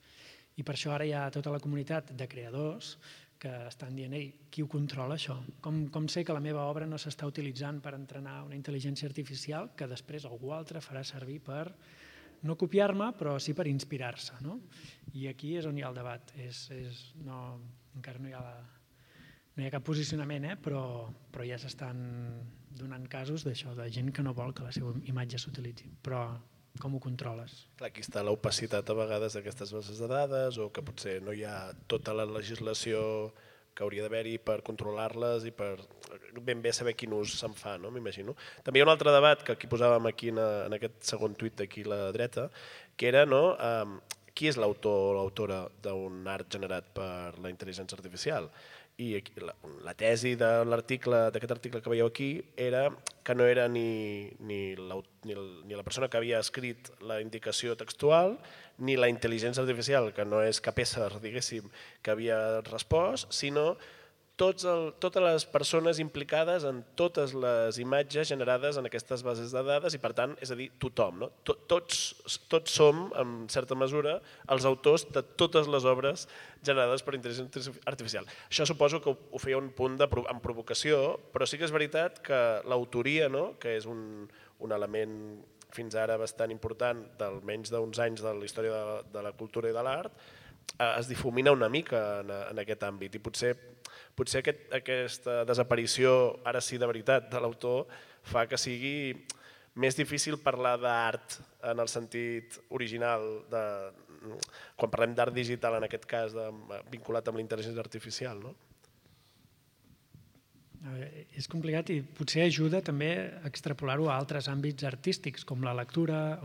I per això ara hi ha tota la comunitat de creadors que estan dient, qui ho controla això? Com sé que la meva obra no s'està utilitzant per entrenar una intel·ligència artificial que després algú altre farà servir per no copiar-me, però sí per inspirar-se, no? I aquí és on hi ha el debat. Encara no hi ha cap posicionament, però ja s'estan donant casos d'això, de gent que no vol que la seva imatge s'utilitzi. Però com ho controles? Clar, aquí està l'opacitat a vegades d'aquestes bases de dades o que potser no hi ha tota la legislació que hauria d'haver-hi per controlar-les i per ben bé saber quin ús se'n fa, no? M'imagino. També hi ha un altre debat que aquí posàvem aquí en aquest segon tuit d'aquí a la dreta, que era qui és l'autor o l'autora d'un art generat per la intel·ligència artificial. I la tesi d'aquest article que veieu aquí era que no era ni la persona que havia escrit la indicació textual ni la intel·ligència artificial, que no és cap ésser, diguéssim, que havia respost, sinó totes les persones implicades en totes les imatges generades en aquestes bases de dades i, per tant, és a dir, tothom. Tots som, en certa mesura, els autors de totes les obres generades per intel·ligència artificial. Això suposo que ho feia un punt amb provocació, però sí que és veritat que l'autoria, que és un element fins ara bastant important d'almenys d'uns anys de la història de la cultura i de l'art, es difumina una mica en aquest àmbit i potser aquesta desaparició, ara sí de veritat, de l'autor fa que sigui més difícil parlar d'art en el sentit original, quan parlem d'art digital en aquest cas, vinculat amb la intel·ligència artificial, no? És complicat i potser ajuda també a extrapolar-ho a altres àmbits artístics com la lectura,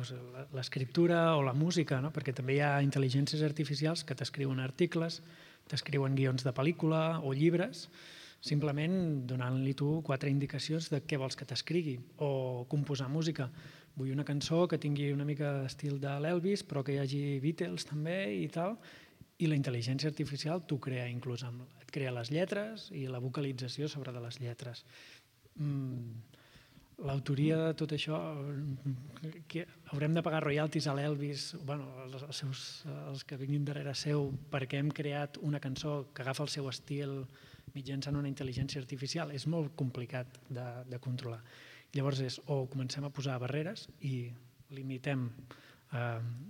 l'escriptura o la música, perquè també hi ha intel·ligències artificials que t'escriuen articles, t'escriuen guions de pel·lícula o llibres, simplement donant-li tu 4 indicacions de què vols que t'escrigui, o composar música. Vull una cançó que tingui una mica d'estil de l'Elvis, però que hi hagi Beatles també i tal, i la intel·ligència artificial t'ho crea inclús, et crea les lletres i la vocalització sobre de les lletres. l'autoria de tot això, que haurem de pagar royalties a l'Elvis, els que vinguin darrere seu, perquè hem creat una cançó que agafa el seu estil mitjançant una intel·ligència artificial, és molt complicat de controlar. Llavors o comencem a posar barreres i limitem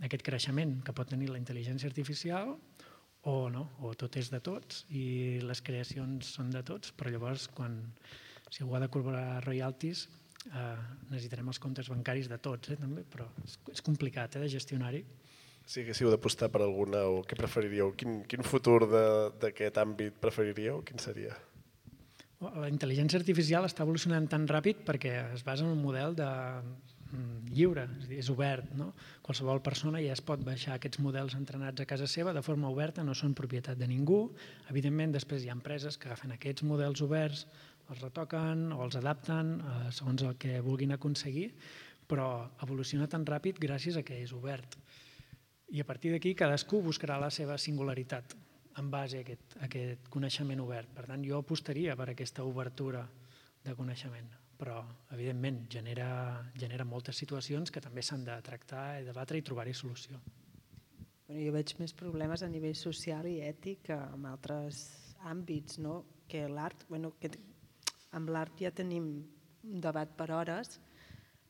aquest creixement que pot tenir la intel·ligència artificial, o no, o tot és de tots i les creacions són de tots, però llavors si algú ha de cobrar royalties necessitarem els comptes bancaris de tots, també, però és complicat de gestionar-hi. Si haguéssiu d'apostar per alguna, o què preferiríeu? Quin futur d'aquest àmbit preferiríeu? Quin seria? La intel·ligència artificial està evolucionant tan ràpid perquè es basa en un model lliure, és obert. Qualsevol persona ja es pot baixar aquests models entrenats a casa seva de forma oberta, no són propietat de ningú. Evidentment, després hi ha empreses que agafen aquests models oberts, els retoquen o els adapten segons el que vulguin aconseguir, però evoluciona tan ràpid gràcies a que és obert. I a partir d'aquí cadascú buscarà la seva singularitat en base a aquest coneixement obert. Per tant, jo apostaria per aquesta obertura de coneixement, però evidentment genera moltes situacions que també s'han de tractar i debatre i trobar-hi solució. Jo veig més problemes a nivell social i ètic que en altres àmbits, que l'art. Amb l'art ja tenim un debat per hores,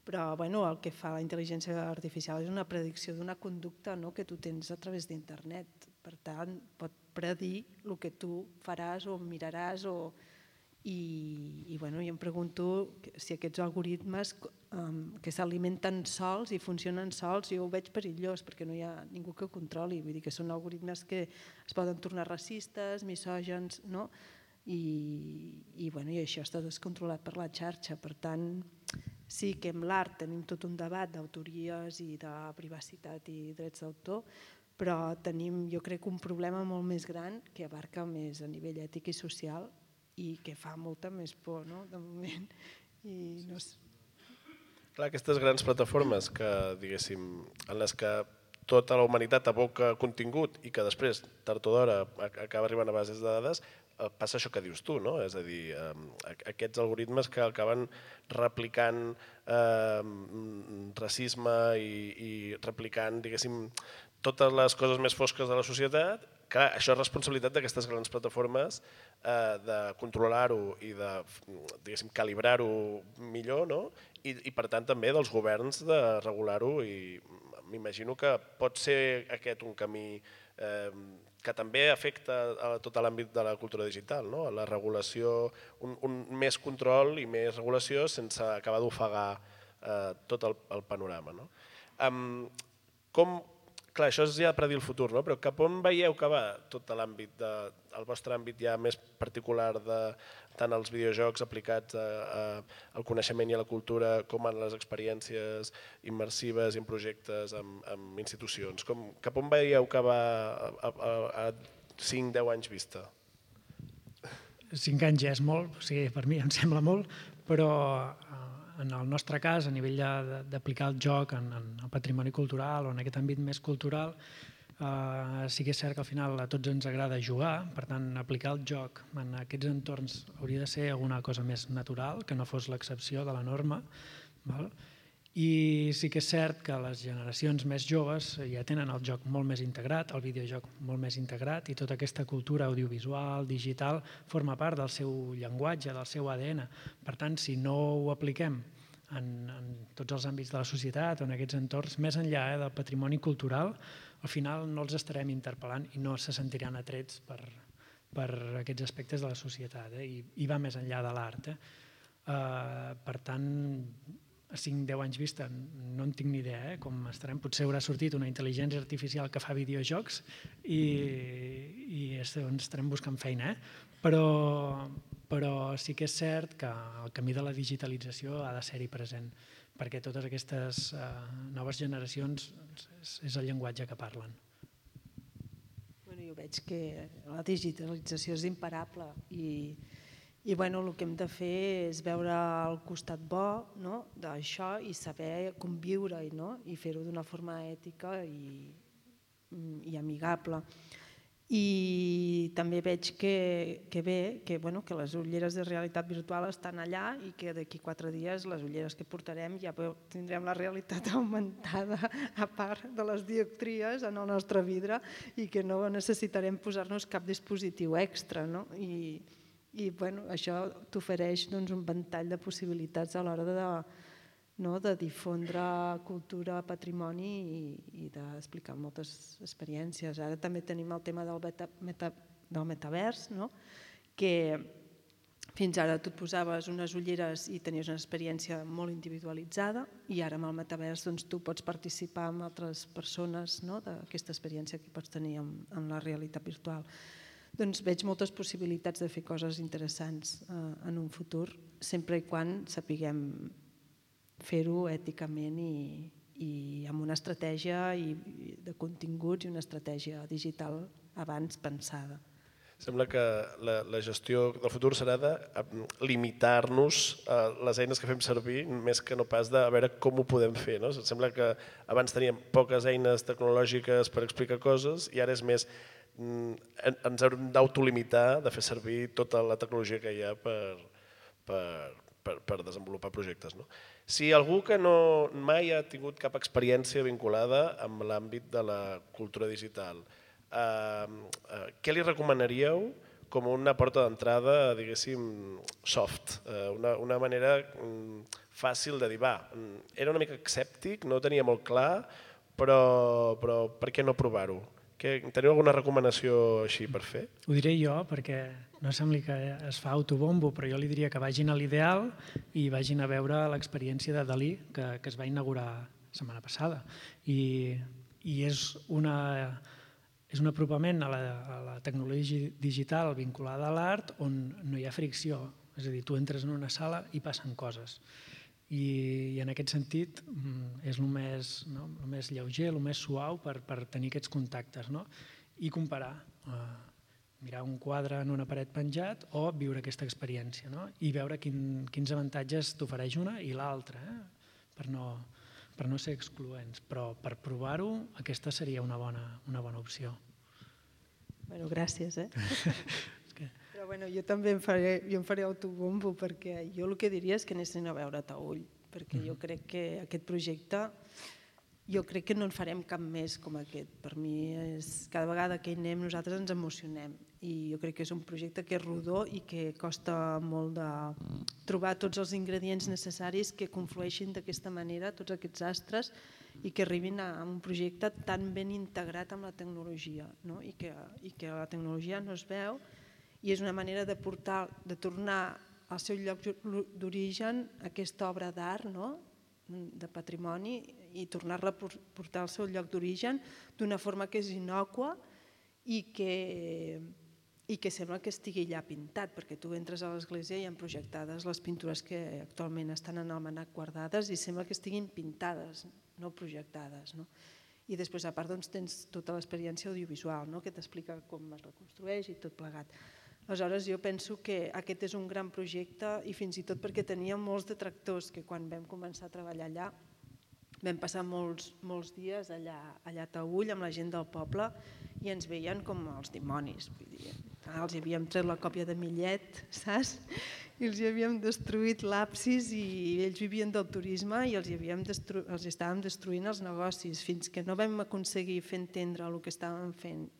però el que fa la intel·ligència artificial és una predicció d'una conducta que tu tens a través d'internet. Per tant, pot predir el que tu faràs o miraràs. I em pregunto si aquests algoritmes que s'alimenten sols i funcionen sols, jo ho veig perillós perquè no hi ha ningú que controli. Vull dir que són algoritmes que es poden tornar racistes, misògens, i això està descontrolat per la xarxa. Per tant, sí que amb l'art tenim tot un debat d'autories i de privacitat i drets d'autor, però tenim, jo crec, un problema molt més gran que abarca més a nivell ètic i social i que fa molta més por, de moment. Clar, aquestes grans plataformes que, diguéssim, en les que tota la humanitat aboca contingut i que després, tard o d'hora, acaba arribant a bases de dades, passa això que dius tu, no? És a dir, aquests algoritmes que acaben replicant racisme i replicant, diguéssim, totes les coses més fosques de la societat. Clar, això és responsabilitat d'aquestes grans plataformes de controlar-ho i de, diguéssim, calibrar-ho millor, no? I per tant també dels governs de regular-ho, i m'imagino que pot ser aquest un camí que també afecta a tot l'àmbit de la cultura digital, no? La regulació, un més control i més regulació sense acabar d'ofegar tot el panorama. Clar, això és ja per dir el futur, però cap on veieu que va tot l'àmbit, el vostre àmbit ja més particular de tant els videojocs aplicats al coneixement i a la cultura com en les experiències immersives i en projectes amb institucions? Cap on veieu que va a 5-10 anys vista? 5 anys ja és molt, per mi em sembla molt, però en el nostre cas, a nivell d'aplicar el joc en el patrimoni cultural o en aquest àmbit més cultural, sí que és cert que al final a tots ens agrada jugar, per tant, aplicar el joc en aquests entorns hauria de ser alguna cosa més natural, que no fos l'excepció de la norma. I sí que és cert que les generacions més joves ja tenen el joc molt més integrat, el videojoc molt més integrat, i tota aquesta cultura audiovisual, digital, forma part del seu llenguatge, del seu ADN. Per tant, si no ho apliquem en tots els àmbits de la societat o en aquests entorns, més enllà del patrimoni cultural, al final no els estarem interpel·lant i no se sentiran atrets per aquests aspectes de la societat, i va més enllà de l'art. Per tant, a 5-10 anys vista no en tinc ni idea com estarem. Potser haurà sortit una intel·ligència artificial que fa videojocs i estarem buscant feina, però sí que és cert que el camí de la digitalització ha de ser-hi present, perquè totes aquestes noves generacions és el llenguatge que parlen. Jo veig que la digitalització és imparable i el que hem de fer és veure el costat bo d'això i saber conviure i fer-ho d'una forma ètica i amigable. I també veig que les ulleres de realitat virtual estan allà i que d'aquí 4 dies les ulleres que portarem ja tindrem la realitat augmentada a part de les dioptries en el nostre vidre i que no necessitarem posar-nos cap dispositiu extra. I això t'ofereix un ventall de possibilitats a l'hora de difondre cultura, patrimoni i d'explicar moltes experiències. Ara també tenim el tema del metavers, que fins ara tu et posaves unes ulleres i tenies una experiència molt individualitzada i ara amb el metavers tu pots participar amb altres persones d'aquesta experiència que pots tenir en la realitat virtual. Doncs veig moltes possibilitats de fer coses interessants en un futur, sempre i quan sapiguem fer-ho èticament i amb una estratègia de continguts i una estratègia digital abans pensada. Sembla que la gestió del futur serà de limitar-nos a les eines que fem servir més que no pas de veure com ho podem fer. Sembla que abans teníem poques eines tecnològiques per explicar coses i ara és més ens haurem d'autolimitar de fer servir tota la tecnologia que hi ha per desenvolupar projectes. Si algú que mai ha tingut cap experiència vinculada amb l'àmbit de la cultura digital, què li recomanaríeu com una porta d'entrada, diguéssim, soft, una manera fàcil de dir, era una mica escèptic, no ho tenia molt clar, però per què no provar-ho? Teniu alguna recomanació així per fer? Ho diré jo perquè no sembli que es fa autobombo, però jo li diria que vagin a l'Ideal i vagin a veure l'experiència de Dalí que es va inaugurar la setmana passada. I és un apropament a la tecnologia digital vinculada a l'art on no hi ha fricció. És a dir, tu entres en una sala i passen coses. I en aquest sentit és el més lleuger, el més suau per tenir aquests contactes i comparar, mirar un quadre en una paret penjat o viure aquesta experiència i veure quins avantatges t'ofereix una i l'altra, per no ser excloents. Però per provar-ho, aquesta seria una bona opció. Bueno, gràcies. Però jo també em faré autobombo perquè jo el que diria és que anessin a veure Taüll, perquè jo crec que aquest projecte, jo crec que no en farem cap més com aquest. Per mi, cada vegada que hi anem nosaltres ens emocionem i jo crec que és un projecte que és rodó i que costa molt de trobar tots els ingredients necessaris que conflueixin d'aquesta manera, tots aquests astres, i que arribin a un projecte tan ben integrat amb la tecnologia i que la tecnologia no es veu i és una manera de tornar al seu lloc d'origen aquesta obra d'art, de patrimoni, i tornar-la a portar al seu lloc d'origen d'una forma que és innòcua i que sembla que estigui allà pintat, perquè tu entres a l'església i hi ha projectades les pintures que actualment estan en el Mnac guardades i sembla que estiguin pintades, no projectades. I després, a part, tens tota l'experiència audiovisual que t'explica com es reconstrueix i tot plegat. Aleshores, jo penso que aquest és un gran projecte i fins i tot perquè tenia molts detractors que quan vam començar a treballar allà vam passar molts dies allà a Taüll amb la gent del poble i ens veien com els dimonis. Els havíem tret la còpia de Millet, saps? I els havíem destruït l'absis i ells vivien del turisme i els estàvem destruint els negocis fins que no vam aconseguir fer entendre el que estàvem fent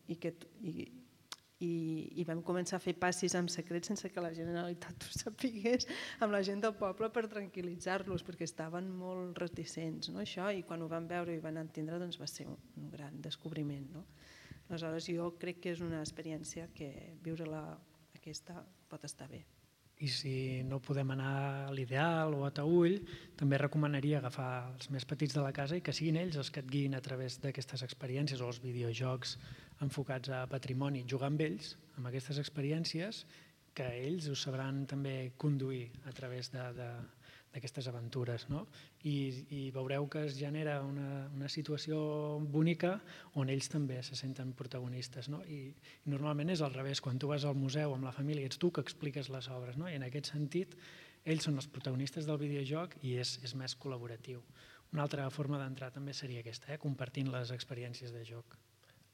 i vam començar a fer passis en secret sense que la Generalitat ho sapigués amb la gent del poble per tranquil·litzar-los perquè estaven molt reticents i quan ho van veure i van entendre va ser un gran descobriment. Aleshores jo crec que és una experiència que viure-la aquesta pot estar bé. I si no podem anar a l'Ideal o a Taüll, també recomanaria agafar els més petits de la casa i que siguin ells els que et guiïn a través d'aquestes experiències o els videojocs enfocats a patrimoni, jugar amb ells, amb aquestes experiències, que ells ho sabran també conduir a través d'aquestes aventures. I veureu que es genera una situació bonica on ells també se senten protagonistes. I normalment és al revés, quan tu vas al museu amb la família ets tu que expliques les obres, i en aquest sentit ells són els protagonistes del videojoc i és més col·laboratiu. Una altra forma d'entrar també seria aquesta, compartint les experiències de joc.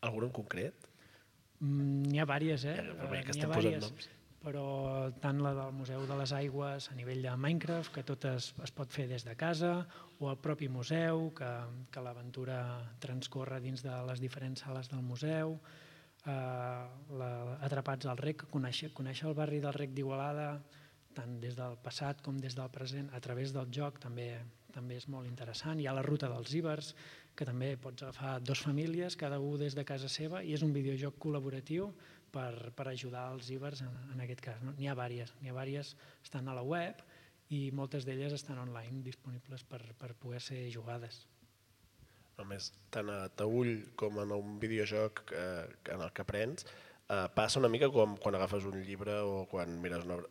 Alguna en concret? N'hi ha diverses, que n'hi estem ha posant diverses, noms. però tant la del Museu de les Aigües a nivell de Minecraft, que tot es pot fer des de casa, o el propi museu, que l'aventura transcorre dins de les diferents sales del museu, Atrapats al Rec, conèixer el barri del Rec d'Igualada, tant des del passat com des del present, a través del joc també és molt interessant. Hi ha la ruta dels Ibers, que també pots agafar 2 famílies, cada un des de casa seva, i és un videojoc col·laboratiu per ajudar els Ibers en aquest cas. N'hi ha diverses, estan a la web i moltes d'elles estan online disponibles per poder ser jugades. Només tant a Taüll com en un videojoc en el que aprens, passa una mica com quan agafes un llibre o quan mires una obra.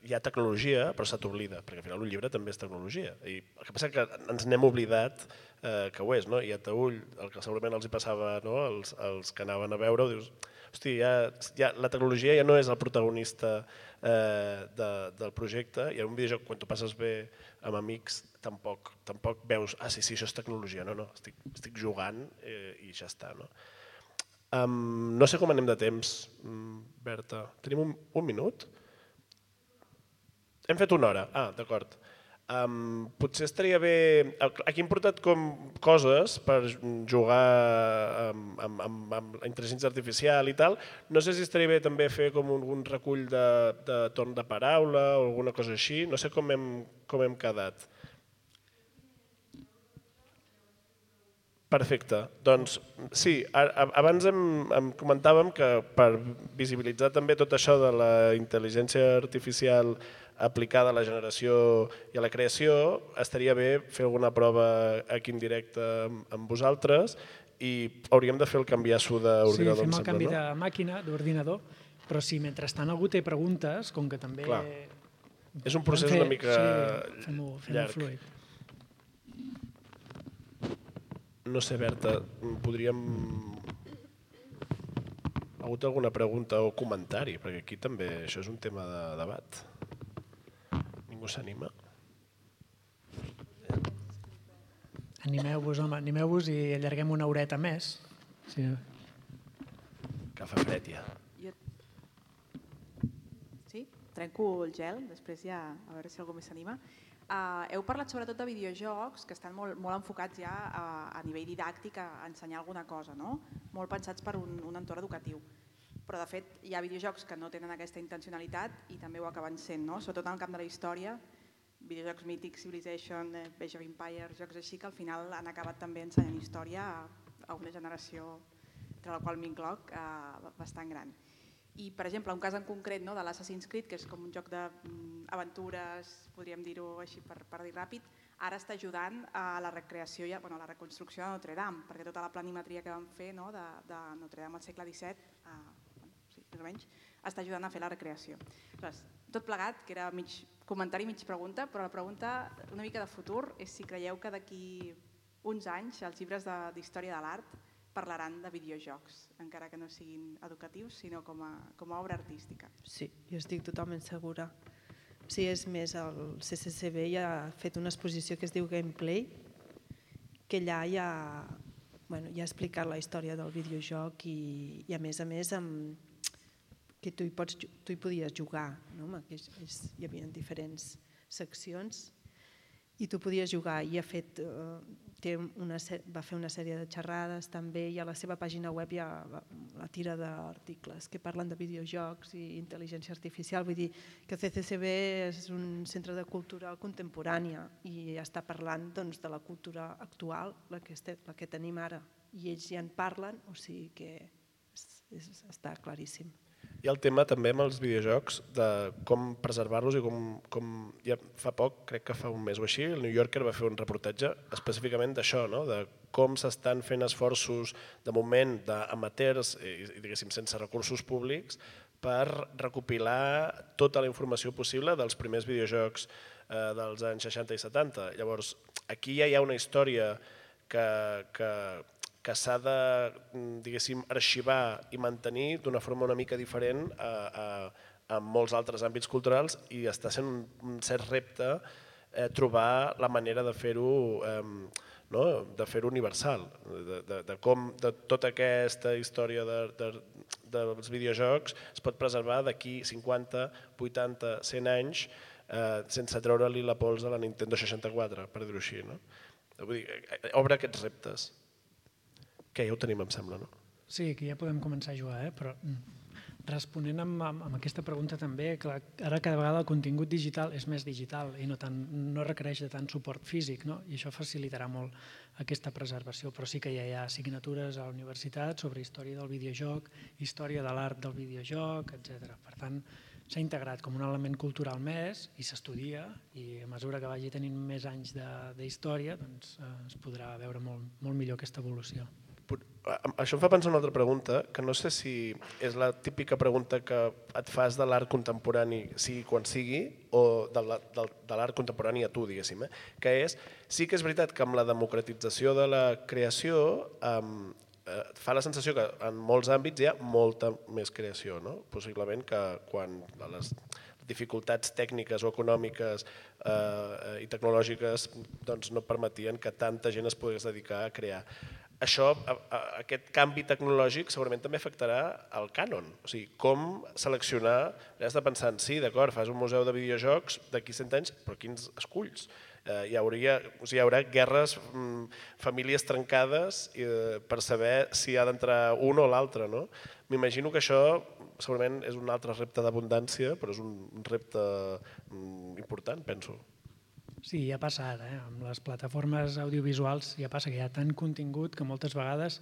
Hi ha tecnologia, però se t'oblida, perquè al final un llibre també és tecnologia. I el que passa és que ens n'hem oblidat que ho és, no? I a Taüll, el que segurament els hi passava, no? Els que anaven a veure-ho, dius, hosti, la tecnologia ja no és el protagonista del projecte, i en un videojoc, quan t'ho passes bé amb amics, tampoc veus, sí, això és tecnologia, no, estic jugant i ja està. No sé com anem de temps, Berta. Tenim un minut? Hem fet 1 hora, d'acord. Potser estaria bé... Aquí hem portat com coses per jugar amb la intel·ligència artificial i tal. No sé si estaria bé també fer com un recull de torn de paraula o alguna cosa així. No sé com hem quedat. Perfecte. Doncs sí, abans em comentàvem que per visibilitzar també tot això de la intel·ligència artificial aplicada a la generació i a la creació, estaria bé fer alguna prova aquí en directe amb vosaltres i hauríem de fer el canviasso d'ordinador. Sí, fem el canvi de màquina, d'ordinador, però si mentrestant algú té preguntes, com que també... Clar. És un procés una mica llarg. Fluid. No sé, Berta, podríem... Ha hagut alguna pregunta o comentari? Perquè aquí també això és un tema de debat. Ningú s'anima? Animeu-vos, home, animeu-vos i allarguem 1 horeta més. Sí. Que fa fred ja. Sí? Trenco el gel, després ja a veure si algú més s'anima. Heu parlat sobretot de videojocs que estan molt enfocats ja a nivell didàctic a ensenyar alguna cosa, no? Molt pensats per un entorn educatiu. Però de fet hi ha videojocs que no tenen aquesta intencionalitat i també ho acaben sent, no? Sobretot en el camp de la història, videojocs mítics, Civilization, Age of Empires, jocs així que al final han acabat també ensenyant història a una generació, entre la qual m'incloc, bastant gran. I, per exemple, un cas en concret de l'Assassin's Creed, que és com un joc d'aventures, podríem dir-ho així per dir ràpid, ara està ajudant a la recreació i a la reconstrucció de Notre Dame, perquè tota la planimetria que vam fer de Notre Dame al segle XVII, més o menys, està ajudant a fer la recreació. Tot plegat, que era mig comentari, mig pregunta, però la pregunta una mica de futur és si creieu que d'aquí uns anys els llibres d'història de l'art parlaran de videojocs, encara que no siguin educatius, sinó com a obra artística. Sí, jo estic totalment segura. Sí, és més, el CCCB ja ha fet una exposició que es diu Gameplay, que allà ja ha explicat la història del videojoc i a més que tu hi podies jugar, hi havia diferents seccions i tu podies jugar i va fer una sèrie de xerrades també i a la seva pàgina web hi ha la tira d'articles que parlen de videojocs i intel·ligència artificial, vull dir que el CCCB és un centre de cultura contemporània i està parlant de la cultura actual, la que tenim ara, i ells ja en parlen, o sigui que està claríssim. Hi ha el tema també amb els videojocs de com preservar-los i com ja fa poc, crec que fa un mes o així, el New Yorker va fer un reportatge específicament d'això, de com s'estan fent esforços de moment d'amateurs i diguéssim sense recursos públics per recopilar tota la informació possible dels primers videojocs dels anys 60 i 70. Llavors, aquí ja hi ha una història que s'ha de, diguéssim, arxivar i mantenir d'una forma una mica diferent a molts altres àmbits culturals i està sent un cert repte trobar la manera de fer-ho de fer-ho universal, de com tota aquesta història dels videojocs es pot preservar d'aquí 50, 80, 100 anys sense treure-li la pols a la Nintendo 64, per dir-ho així. Vull dir, obre aquests reptes, que ja ho tenim, em sembla, no? Sí, que ja podem començar a jugar, però responent amb aquesta pregunta també, clar, ara cada vegada el contingut digital és més digital i no requereix de tant suport físic, no? I això facilitarà molt aquesta preservació, però sí que ja hi ha assignatures a la universitat sobre història del videojoc, història de l'art del videojoc, etc. Per tant, s'ha integrat com un element cultural més i s'estudia, i a mesura que vagi tenint més anys d'història doncs es podrà veure molt millor aquesta evolució. Això em fa pensar una altra pregunta, que no sé si és la típica pregunta que et fas de l'art contemporani, sigui quan sigui, o de l'art contemporani a tu, diguéssim, que és, sí que és veritat que amb la democratització de la creació fa la sensació que en molts àmbits hi ha molta més creació, no? Possiblement que quan les dificultats tècniques o econòmiques i tecnològiques no permetien que tanta gent es pogués dedicar a crear. Això, aquest canvi tecnològic segurament també afectarà el cànon, o sigui, com seleccionar, has de pensar, sí, d'acord, fas un museu de videojocs d'aquí 100 anys, però quins esculls? Hi haurà guerres, famílies trencades per saber si ha d'entrar un o l'altre. M'imagino que això segurament és un altre repte d'abundància, però és un repte important, penso. Sí, ja passa ara, amb les plataformes audiovisuals ja passa que hi ha tant contingut que moltes vegades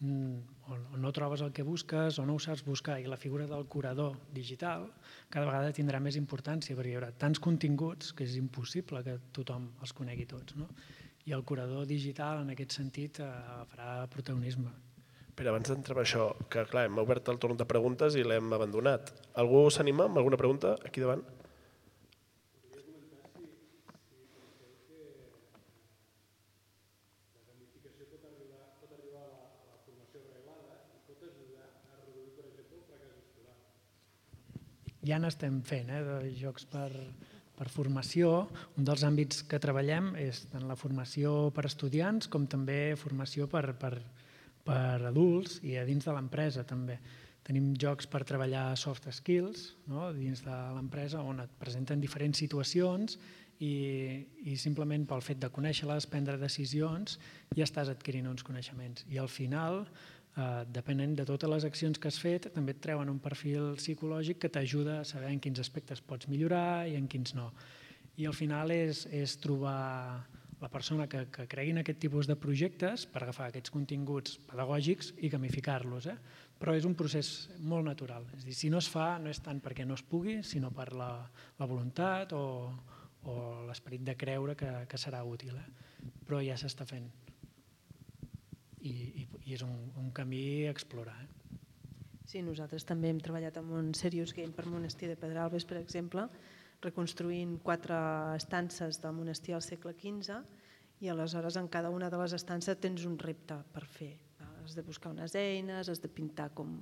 o no trobes el que busques o no ho saps buscar, i la figura del curador digital cada vegada tindrà més importància perquè hi haurà tants continguts que és impossible que tothom els conegui tots, no? I el curador digital en aquest sentit farà protagonisme. Però abans d'entrar en això, que clar, hem obert el torn de preguntes i l'hem abandonat. Algú s'anima amb alguna pregunta aquí davant? Ja n'estem fent, de jocs per formació. Un dels àmbits que treballem és tant la formació per estudiants com també formació per adults i a dins de l'empresa també. Tenim jocs per treballar soft skills dins de l'empresa on et presenten diferents situacions i simplement pel fet de conèixer-les, prendre decisions, ja estàs adquirint uns coneixements. I al final, depenent de totes les accions que has fet, també et treuen un perfil psicològic que t'ajuda a saber en quins aspectes pots millorar i en quins no. I al final és trobar la persona que cregui en aquest tipus de projectes per agafar aquests continguts pedagògics i gamificar-los. Però és un procés molt natural. És a dir, si no es fa, no és tant perquè no es pugui, sinó per la voluntat o l'esperit de creure que serà útil. Però ja s'està fent. I és un camí a explorar. Sí, nosaltres també hem treballat amb un Serious Game per Monestir de Pedralbes, per exemple, reconstruint 4 estances del monestir al segle XV i aleshores en cada una de les estances tens un repte per fer. Has de buscar unes eines, has de pintar com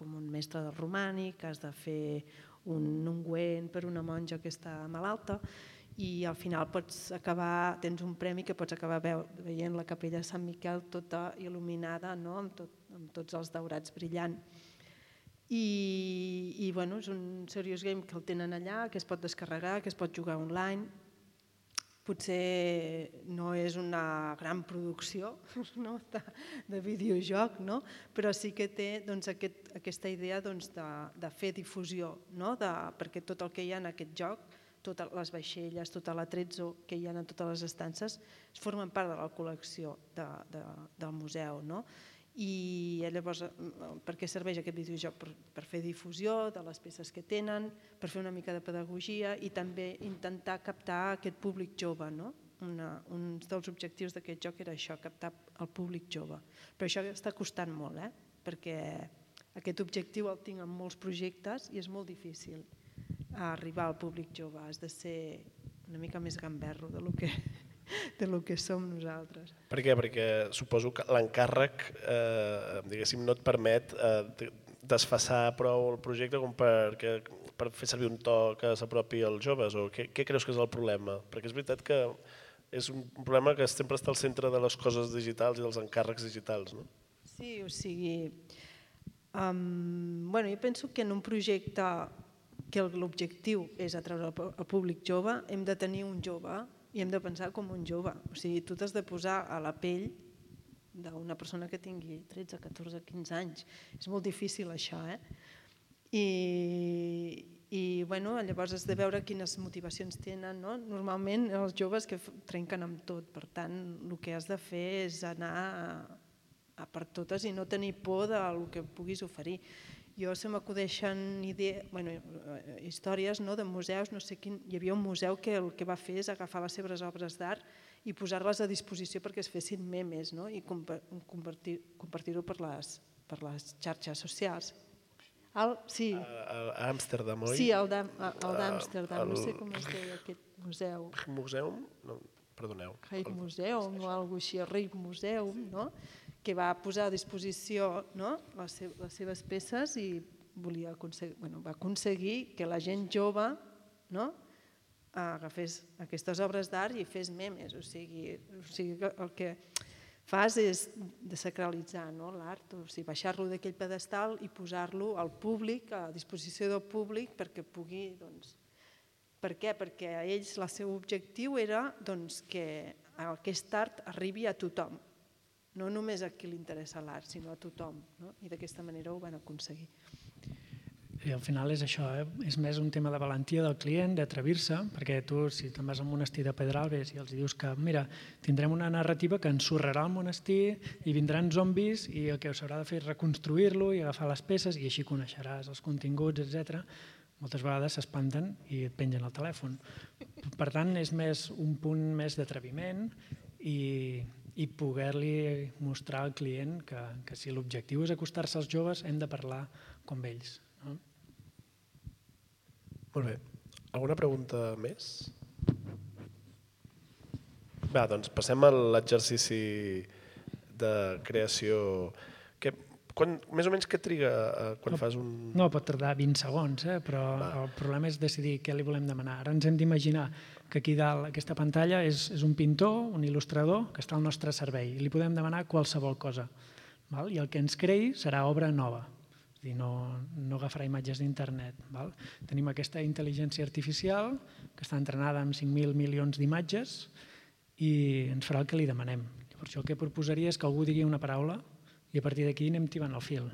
un mestre del romànic, has de fer un ungüent per una monja que està malalta i al final tens un premi que pots acabar veient la capella de Sant Miquel tota il·luminada amb tots els daurats brillant. I és un Serious Game que el tenen allà, que es pot descarregar, que es pot jugar online. Potser no és una gran producció de videojoc, però sí que té aquesta idea de fer difusió, perquè tot el que hi ha en aquest joc, totes les vaixelles, tota l'atrezzo que hi ha en totes les estances, formen part de la col·lecció del museu. I llavors per què serveix aquest videojoc? Per fer difusió de les peces que tenen, per fer una mica de pedagogia i també intentar captar aquest públic jove. Un dels objectius d'aquest joc era això, captar el públic jove. Però això està costant molt, perquè aquest objectiu el tinc en molts projectes i és molt difícil arribar al públic jove. Has de ser una mica més gamberro de lo que som nosaltres. Per què? Perquè suposo que l'encàrrec no et permet desfassar prou el projecte com per fer servir un to que s'apropi als joves, o què creus que és el problema? Perquè és veritat que És un problema que sempre està al centre de les coses digitals i dels encàrrecs digitals, no? Sí, o sigui, jo penso que en un projecte que l'objectiu és atreure el públic jove, hem de tenir un jove i hem de pensar com un jove. O sigui, tu t'has de posar a la pell d'una persona que tingui 13, 14, 15 anys. És molt difícil això, I llavors has de veure quines motivacions tenen. Normalment els joves que trenquen amb tot, per tant el que has de fer és anar a per totes i no tenir por del que puguis oferir. Jo se m'acudeixen històries de museus, no sé quin, hi havia un museu que el que va fer és agafar les seves obres d'art i posar-les a disposició perquè es fessin memes i compartir-ho per les xarxes socials. Sí. A Amsterdam, oi? Sí, el d'Amsterdam, no sé com es deia aquest museu. Museum? No, perdoneu. Rijksmuseum o alguna cosa així, Rijksmuseum, que va posar a disposició les seves peces i va aconseguir que la gent jove agafés aquestes obres d'art i fes memes. O sigui, el que fas és desacralitzar l'art, o sigui, baixar-lo d'aquell pedestal i posar-lo al públic, a disposició del públic, perquè pugui... Per què? Perquè a ells el seu objectiu era que aquest art arribi a tothom, no només a qui li interessa l'art, sinó a tothom, i d'aquesta manera ho van aconseguir. I al final és això, és més un tema de valentia del client, d'atrevir-se, perquè tu, si te'n vas al monestir de Pedralbes i els dius que, mira, tindrem una narrativa que ensorrarà el monestir i vindran zombis i el que s'haurà de fer és reconstruir-lo i agafar les peces i així coneixeràs els continguts, etc. Moltes vegades s'espanten i et pengen el telèfon. Per tant, és més un punt més d'atreviment i poder-li mostrar al client que si l'objectiu és acostar-se als joves hem de parlar com ells. Molt bé. Alguna pregunta més? Va, doncs passem a l'exercici de creació. Més o menys què triga quan fas un... No, pot tardar 20 segons, però el problema és decidir què li volem demanar. Ara ens hem d'imaginar que aquí dalt, aquesta pantalla, és un pintor, un il·lustrador, que està al nostre servei i li podem demanar qualsevol cosa. I el que ens creï serà obra nova. No agafarà imatges d'internet. Tenim aquesta intel·ligència artificial que està entrenada amb 5.000 milions d'imatges i ens farà el que li demanem. Per això el que proposaria és que algú digui una paraula i a partir d'aquí anem tibant el fil.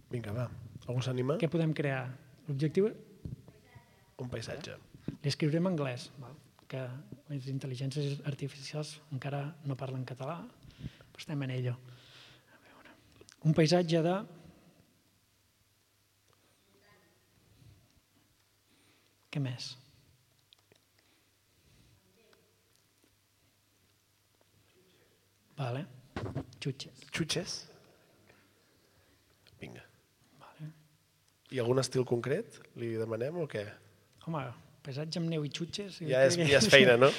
Vinga, va. Algú s'anima? Què podem crear? L'objectiu... Un paisatge. Li escriurem en anglès, que les intel·ligències artificials encara no parlen català, però estem en ello. Un paisatge de... Què més? Vale. Xutxes. Xutxes? Vinga. I algun estil concret? Li demanem o què? Home, paisatge amb neu i xutxes... Ja és feina, no?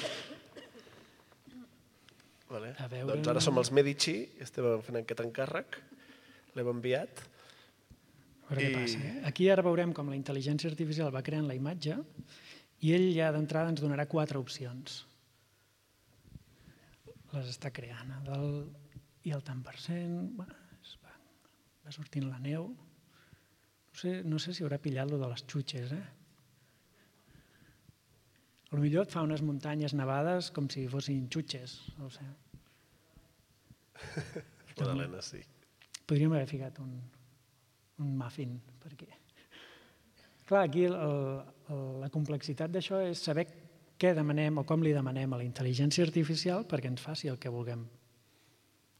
Doncs ara som els Medici, estem fent aquest encàrrec, l'hem enviat... A veure què passa. Aquí ara veurem com la intel·ligència artificial va creant la imatge i ell ja d'entrada ens donarà 4 opcions. Les està creant. I el tant per cent... Va sortint la neu. No sé si haurà pillat lo de les xutxes. Potser et fa unes muntanyes nevades com si fossin xutxes. No ho sé. Madalena, sí. Podríem haver ficat un muffin, perquè... Clar, aquí la complexitat d'això és saber què demanem o com li demanem a la intel·ligència artificial perquè ens faci el que vulguem.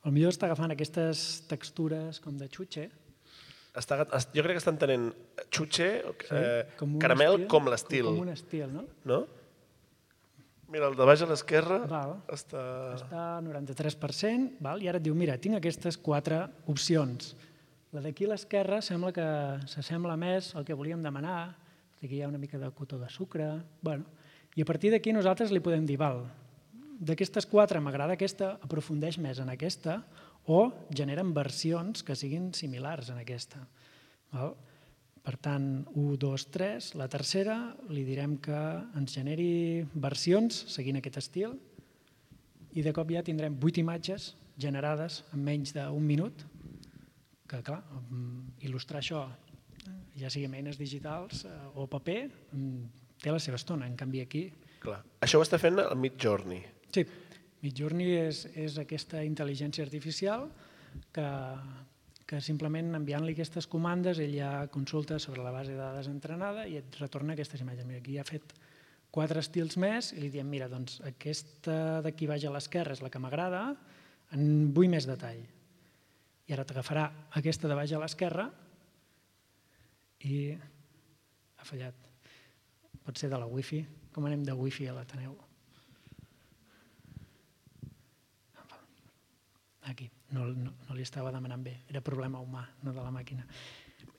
Potser està agafant aquestes textures com de xutxe. Jo crec que està entenent xutxe, caramel, com l'estil. Com un estil, no? No? Mira, el de baix a l'esquerra està... Està al 93%, i ara et diu, mira, tinc aquestes 4 opcions. La d'aquí a l'esquerra sembla que s'assembla més al que volíem demanar, aquí hi ha una mica de cotó de sucre, i a partir d'aquí nosaltres li podem dir, d'aquestes 4 m'agrada aquesta, aprofundeix més en aquesta, o generen versions que siguin similars en aquesta. Per tant, 1, 2, 3, la tercera li direm que ens generi versions seguint aquest estil, i de cop ja tindrem 8 imatges generades en menys d'un minut, que clar, il·lustrar això, ja sigui amb eines digitals o paper, té la seva estona, en canvi aquí... Clar. Això ho està fent el Midjourney. Sí, Midjourney és aquesta intel·ligència artificial que simplement enviant-li aquestes comandes ell ja consulta sobre la base de dades entrenada i et retorna aquestes imatges. Mira, aquí ha fet 4 estils més i li diem, mira, doncs aquesta d'aquí baix a l'esquerra és la que m'agrada, en vull més detall. I ara t'agafarà aquesta de baix a l'esquerra i ha fallat. Pot ser de la wifi. Com anem de wifi a l'Ateneu? Aquí. No li estava demanant bé. Era problema humà, no de la màquina.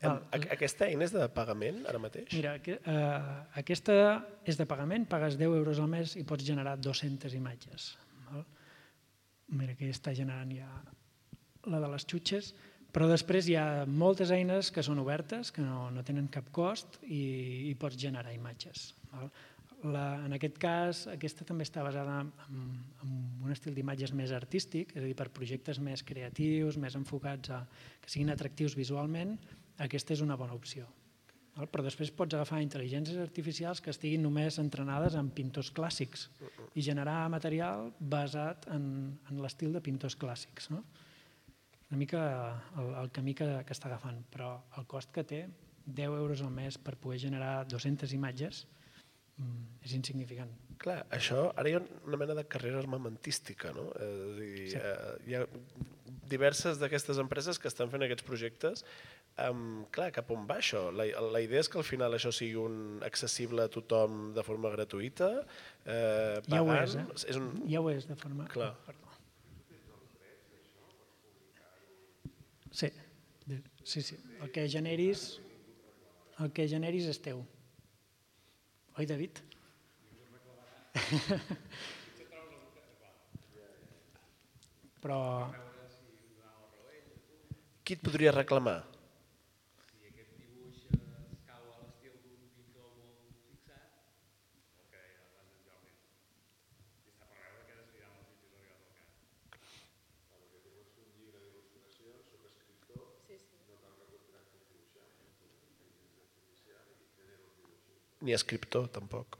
Aquesta eina és de pagament ara mateix? Mira, aquesta és de pagament, pagues 10 euros al mes i pots generar 200 imatges. Mira, aquí està generant ja la de les xutxes, però després hi ha moltes eines que són obertes, que no tenen cap cost i pots generar imatges. En aquest cas, aquesta també està basada en un estil d'imatges més artístic, és a dir, per projectes més creatius, més enfocats a que siguin atractius visualment, aquesta és una bona opció. Però després pots agafar intel·ligències artificials que estiguin només entrenades en pintors clàssics i generar material basat en l'estil de pintors clàssics. Una mica el camí que està agafant, però el cost que té, 10 euros al mes per poder generar 200 imatges, és insignificant. Clar, això, ara hi ha una mena de carrera armamentística, no? Hi ha diverses d'aquestes empreses que estan fent aquests projectes. Clar, cap on va això? La idea és que al final això sigui accessible a tothom de forma gratuïta, pagant... Ja ho és, Ja ho és de forma... Clar. Perdó. Sí. El que generis és teu. Oi, David? Però... Qui et podria reclamar? Si aquest dibuix es cau a l'estil d'un pintor molt fixat, el que deia abans en Jordi, i està per veure que desfilant els sitges arribat al cap. Perquè tu pots fer un llibre d'il·lustració, soc escriptor, no cal que contractes dibuixant, intel·ligència artificial i genero els dibuixos. Ni escriptor, tampoc.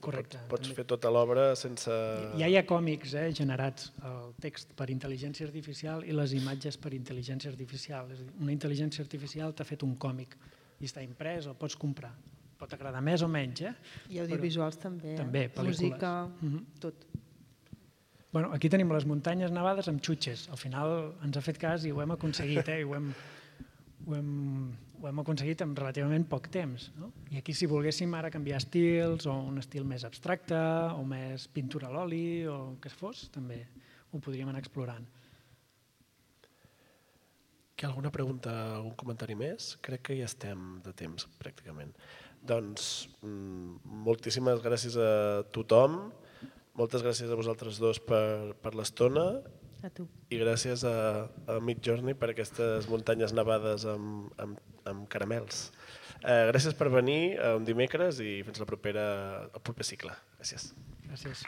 Correcte. Pots fer tota l'obra sense... Ja hi ha còmics generats, el text per intel·ligència artificial i les imatges per intel·ligència artificial. És a dir, una intel·ligència artificial t'ha fet un còmic i està imprès, el pots comprar. Pot agradar més o menys. I audiovisuals també. També, pel·lícules. Música, tot. Bueno, aquí tenim les muntanyes nevades amb xutxes. Al final ens ha fet cas i ho hem aconseguit, i ho hem aconseguit en relativament poc temps. I aquí si volguéssim ara canviar estils o un estil més abstracte o més pintura a l'oli o el que fos, també ho podríem anar explorant. Hi ha alguna pregunta, algun comentari més? Crec que ja estem de temps, pràcticament. Doncs moltíssimes gràcies a tothom, moltes gràcies a vosaltres dos per l'estona. A tu. I gràcies a Midjourney per aquestes muntanyes nevades amb caramels. Gràcies per venir un dimecres i fins al proper cicle. Gràcies. Gràcies.